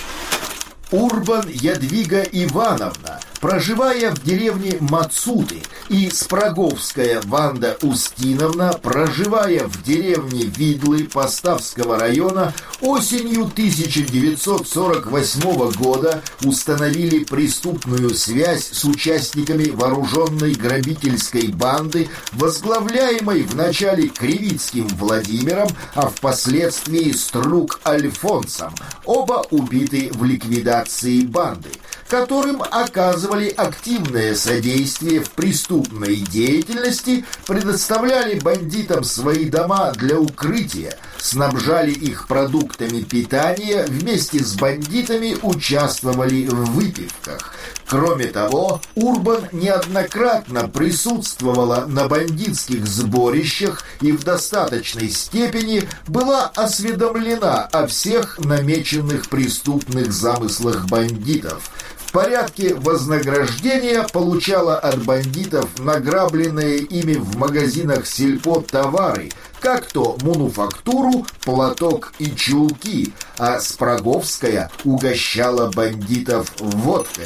Урбан Ядвига Ивановна, проживая в деревне Мацуты, и Спраговская Ванда Устиновна, проживая в деревне Видлы Поставского района, осенью 1948 года установили преступную связь с участниками вооруженной грабительской банды, возглавляемой вначале Кривицким Владимиром, а впоследствии Струк Альфонсом, оба убиты в ликвидации банды, которым оказывали активное содействие в преступной деятельности, предоставляли бандитам свои дома для укрытия, снабжали их продуктами питания, вместе с бандитами участвовали в выпивках. Кроме того, Урбан неоднократно присутствовала на бандитских сборищах и в достаточной степени была осведомлена о всех намеченных преступных замыслах бандитов. В порядке вознаграждения получала от бандитов награбленные ими в магазинах сельпо товары, как то мануфактуру, платок и чулки, а Спраговская угощала бандитов водкой.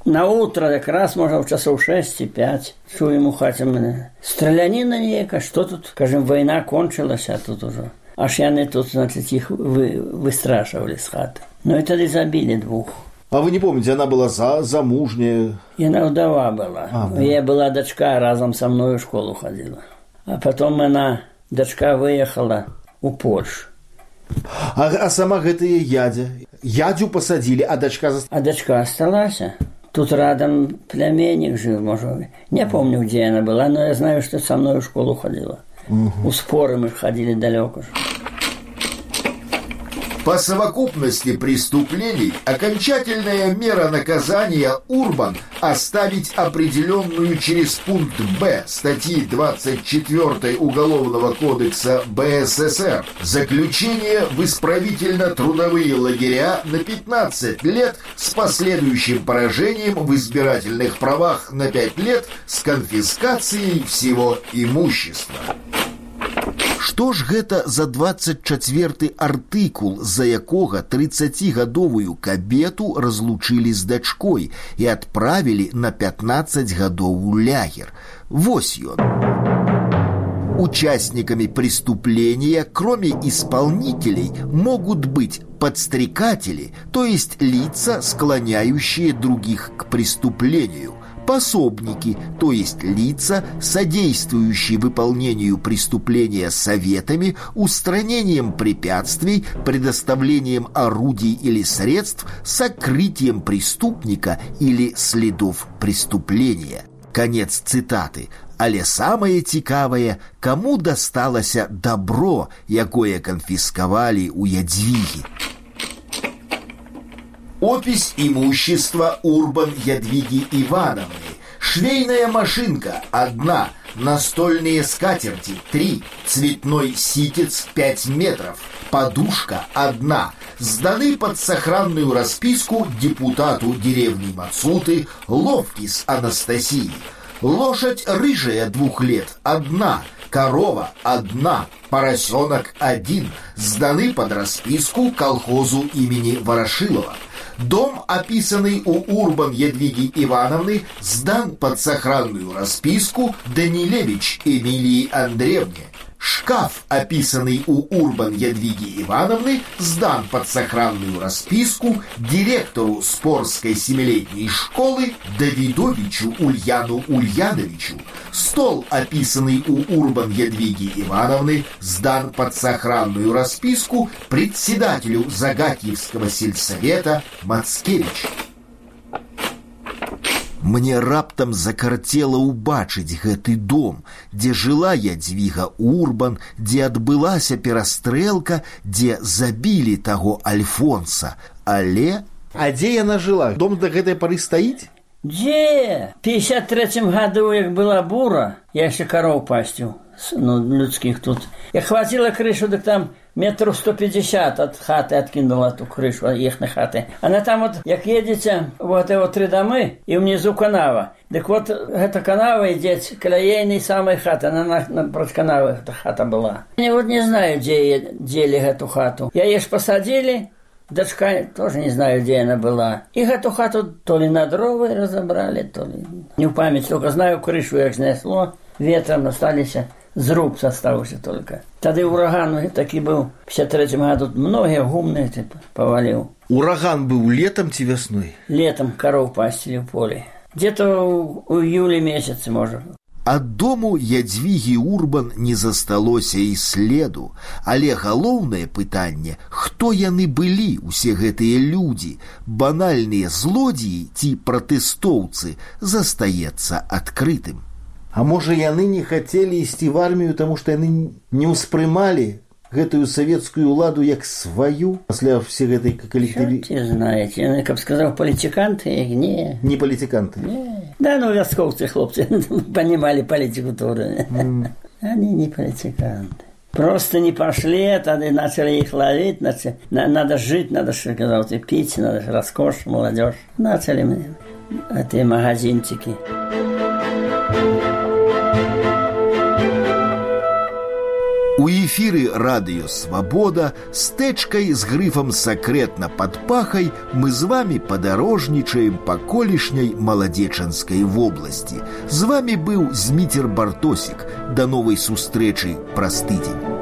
На утро якраз, може, в часов 6-5, чуем у хаті мене. Стрілянина ніяка, що тут? Кажем, війна кончилася тут уже. Аж яни тут, значить, їх вистрашували з хати. Ну і тоді забили двох. А вы не помните, она была замужняя? Она вдова была. Да. Я была дочка, разом со мной в школу ходила. А потом она, дочка, выехала у Польшу. А сама гэтая ядя? Ядю посадили, а дочка... А дочка осталась. Тут рядом племянник жил, может. Не помню, где она была, но я знаю, что со мной в школу ходила. У споры мы ходили далеко. По совокупности преступлений окончательная мера наказания Урбан оставить определенную через пункт Б статьи 24 Уголовного кодекса БССР заключение в исправительно-трудовые лагеря на 15 лет с последующим поражением в избирательных правах на 5 лет с конфискацией всего имущества. Што ж гэта за 24 артыкул, за якога 30гадовую кабету разлучылі з дачкой і адправілі на 15 гадоў у лягер? Вось ён. Участниками преступления, кроме исполнителей, могут быть подстрекатели, то есть лица, склоняющие других к преступлению, пособники, то есть лица, содействующие выполнению преступления советами, устранением препятствий, предоставлением орудий или средств, сокрытием преступника или следов преступления. Конец цитаты. Але самае цікавае, каму дасталася добро, якое канфіскавалі у Ядвігі. Опись имущества Урбан Ядвиги Ивановны. Швейная машинка – 1, настольные скатерти – 3, цветной ситец – 5 метров, подушка – 1, сданы под сохранную расписку депутату деревни Мацуты Ловкис Анастасии. Лошадь рыжая 2 лет – 1, корова – 1, поросенок – 1, сданы под расписку колхозу имени Ворошилова. Дом, описанный у Урбан Ядвиги Ивановны, сдан под сохранную расписку Данилевич Эмилии Андреевне. Шкаф, описанный у Урбан Ядвиги Ивановны, сдан под сохранную расписку директору Спорской 7-летней школы Давидовичу Ульяну Ульяновичу. Стол, описанный у Урбан Ядвиги Ивановны, сдан под сохранную расписку председателю Загатьевского сельсовета Мацкевичу. Мне раптам закарцела ўбачыць гэты дом, дзе жыла Ядвіга Урбан, дзе адбылася перастрэлка, дзе забілі таго Альфонса. Але... А дзе яна жила? Дом до гэтай пары стаіць? Дзе? В 53-м году, як была бура, я ще коров пастил, людских тут. Я хватила крышу, так там метров 150 от хаты откинула ту крышу, их на хаты. Она там вот, як едете, вот эти 3 домы, и внизу канава. Так вот, эта канава идет к ейной самой хаты, она напротив канавы эта хата была. Я вот не знаю, где дели эту хату. Я ешь посадили, дочка, тоже не знаю, где она была. И эту хату то ли на дровы разобрали, то ли... Не в память, только знаю, крышу як снесло, ветром остались, зруб оставался только. Тогда ураган таки был, в 53-м году многие гумные повалил. Ураган был летом ці весной? Летом коров пастили в поле. Где-то у июля месяце, может. Ад дому Ядзвігі Урбан не засталося і следу, але галоўнае пытанне, хто яны былі, усе гэтыя людзі, банальныя злодзеі ці пратэстоўцы, застаецца адкрытым. А можа, яны не хацелі ісці в армію, таму што яны не ўспрымалі гэтую савецкую ўладу як сваю пасля всей гэтай калектыві... Чорт знаете, яны, каб сказаў, палітыканты, не. Не палітыканты? Не. Да, ну, вясковцы, хлопцы, понимали политику тоже. Они не политиканты. Просто не пошли, тогда начали их ловить, надо жить, надо, сказал, пить, надо роскошь, молодежь. Начали мне эти магазинчики. У эфіры радыё «Свабода» з тэчкай з грыфам «Сакрэтна пад пахай» мы з вамі падарожнічаем па колішняй Маладзечанскай вобласці. З вамі быў Зміцер Бартосік. Да новай сустрэчы праз тыдзень.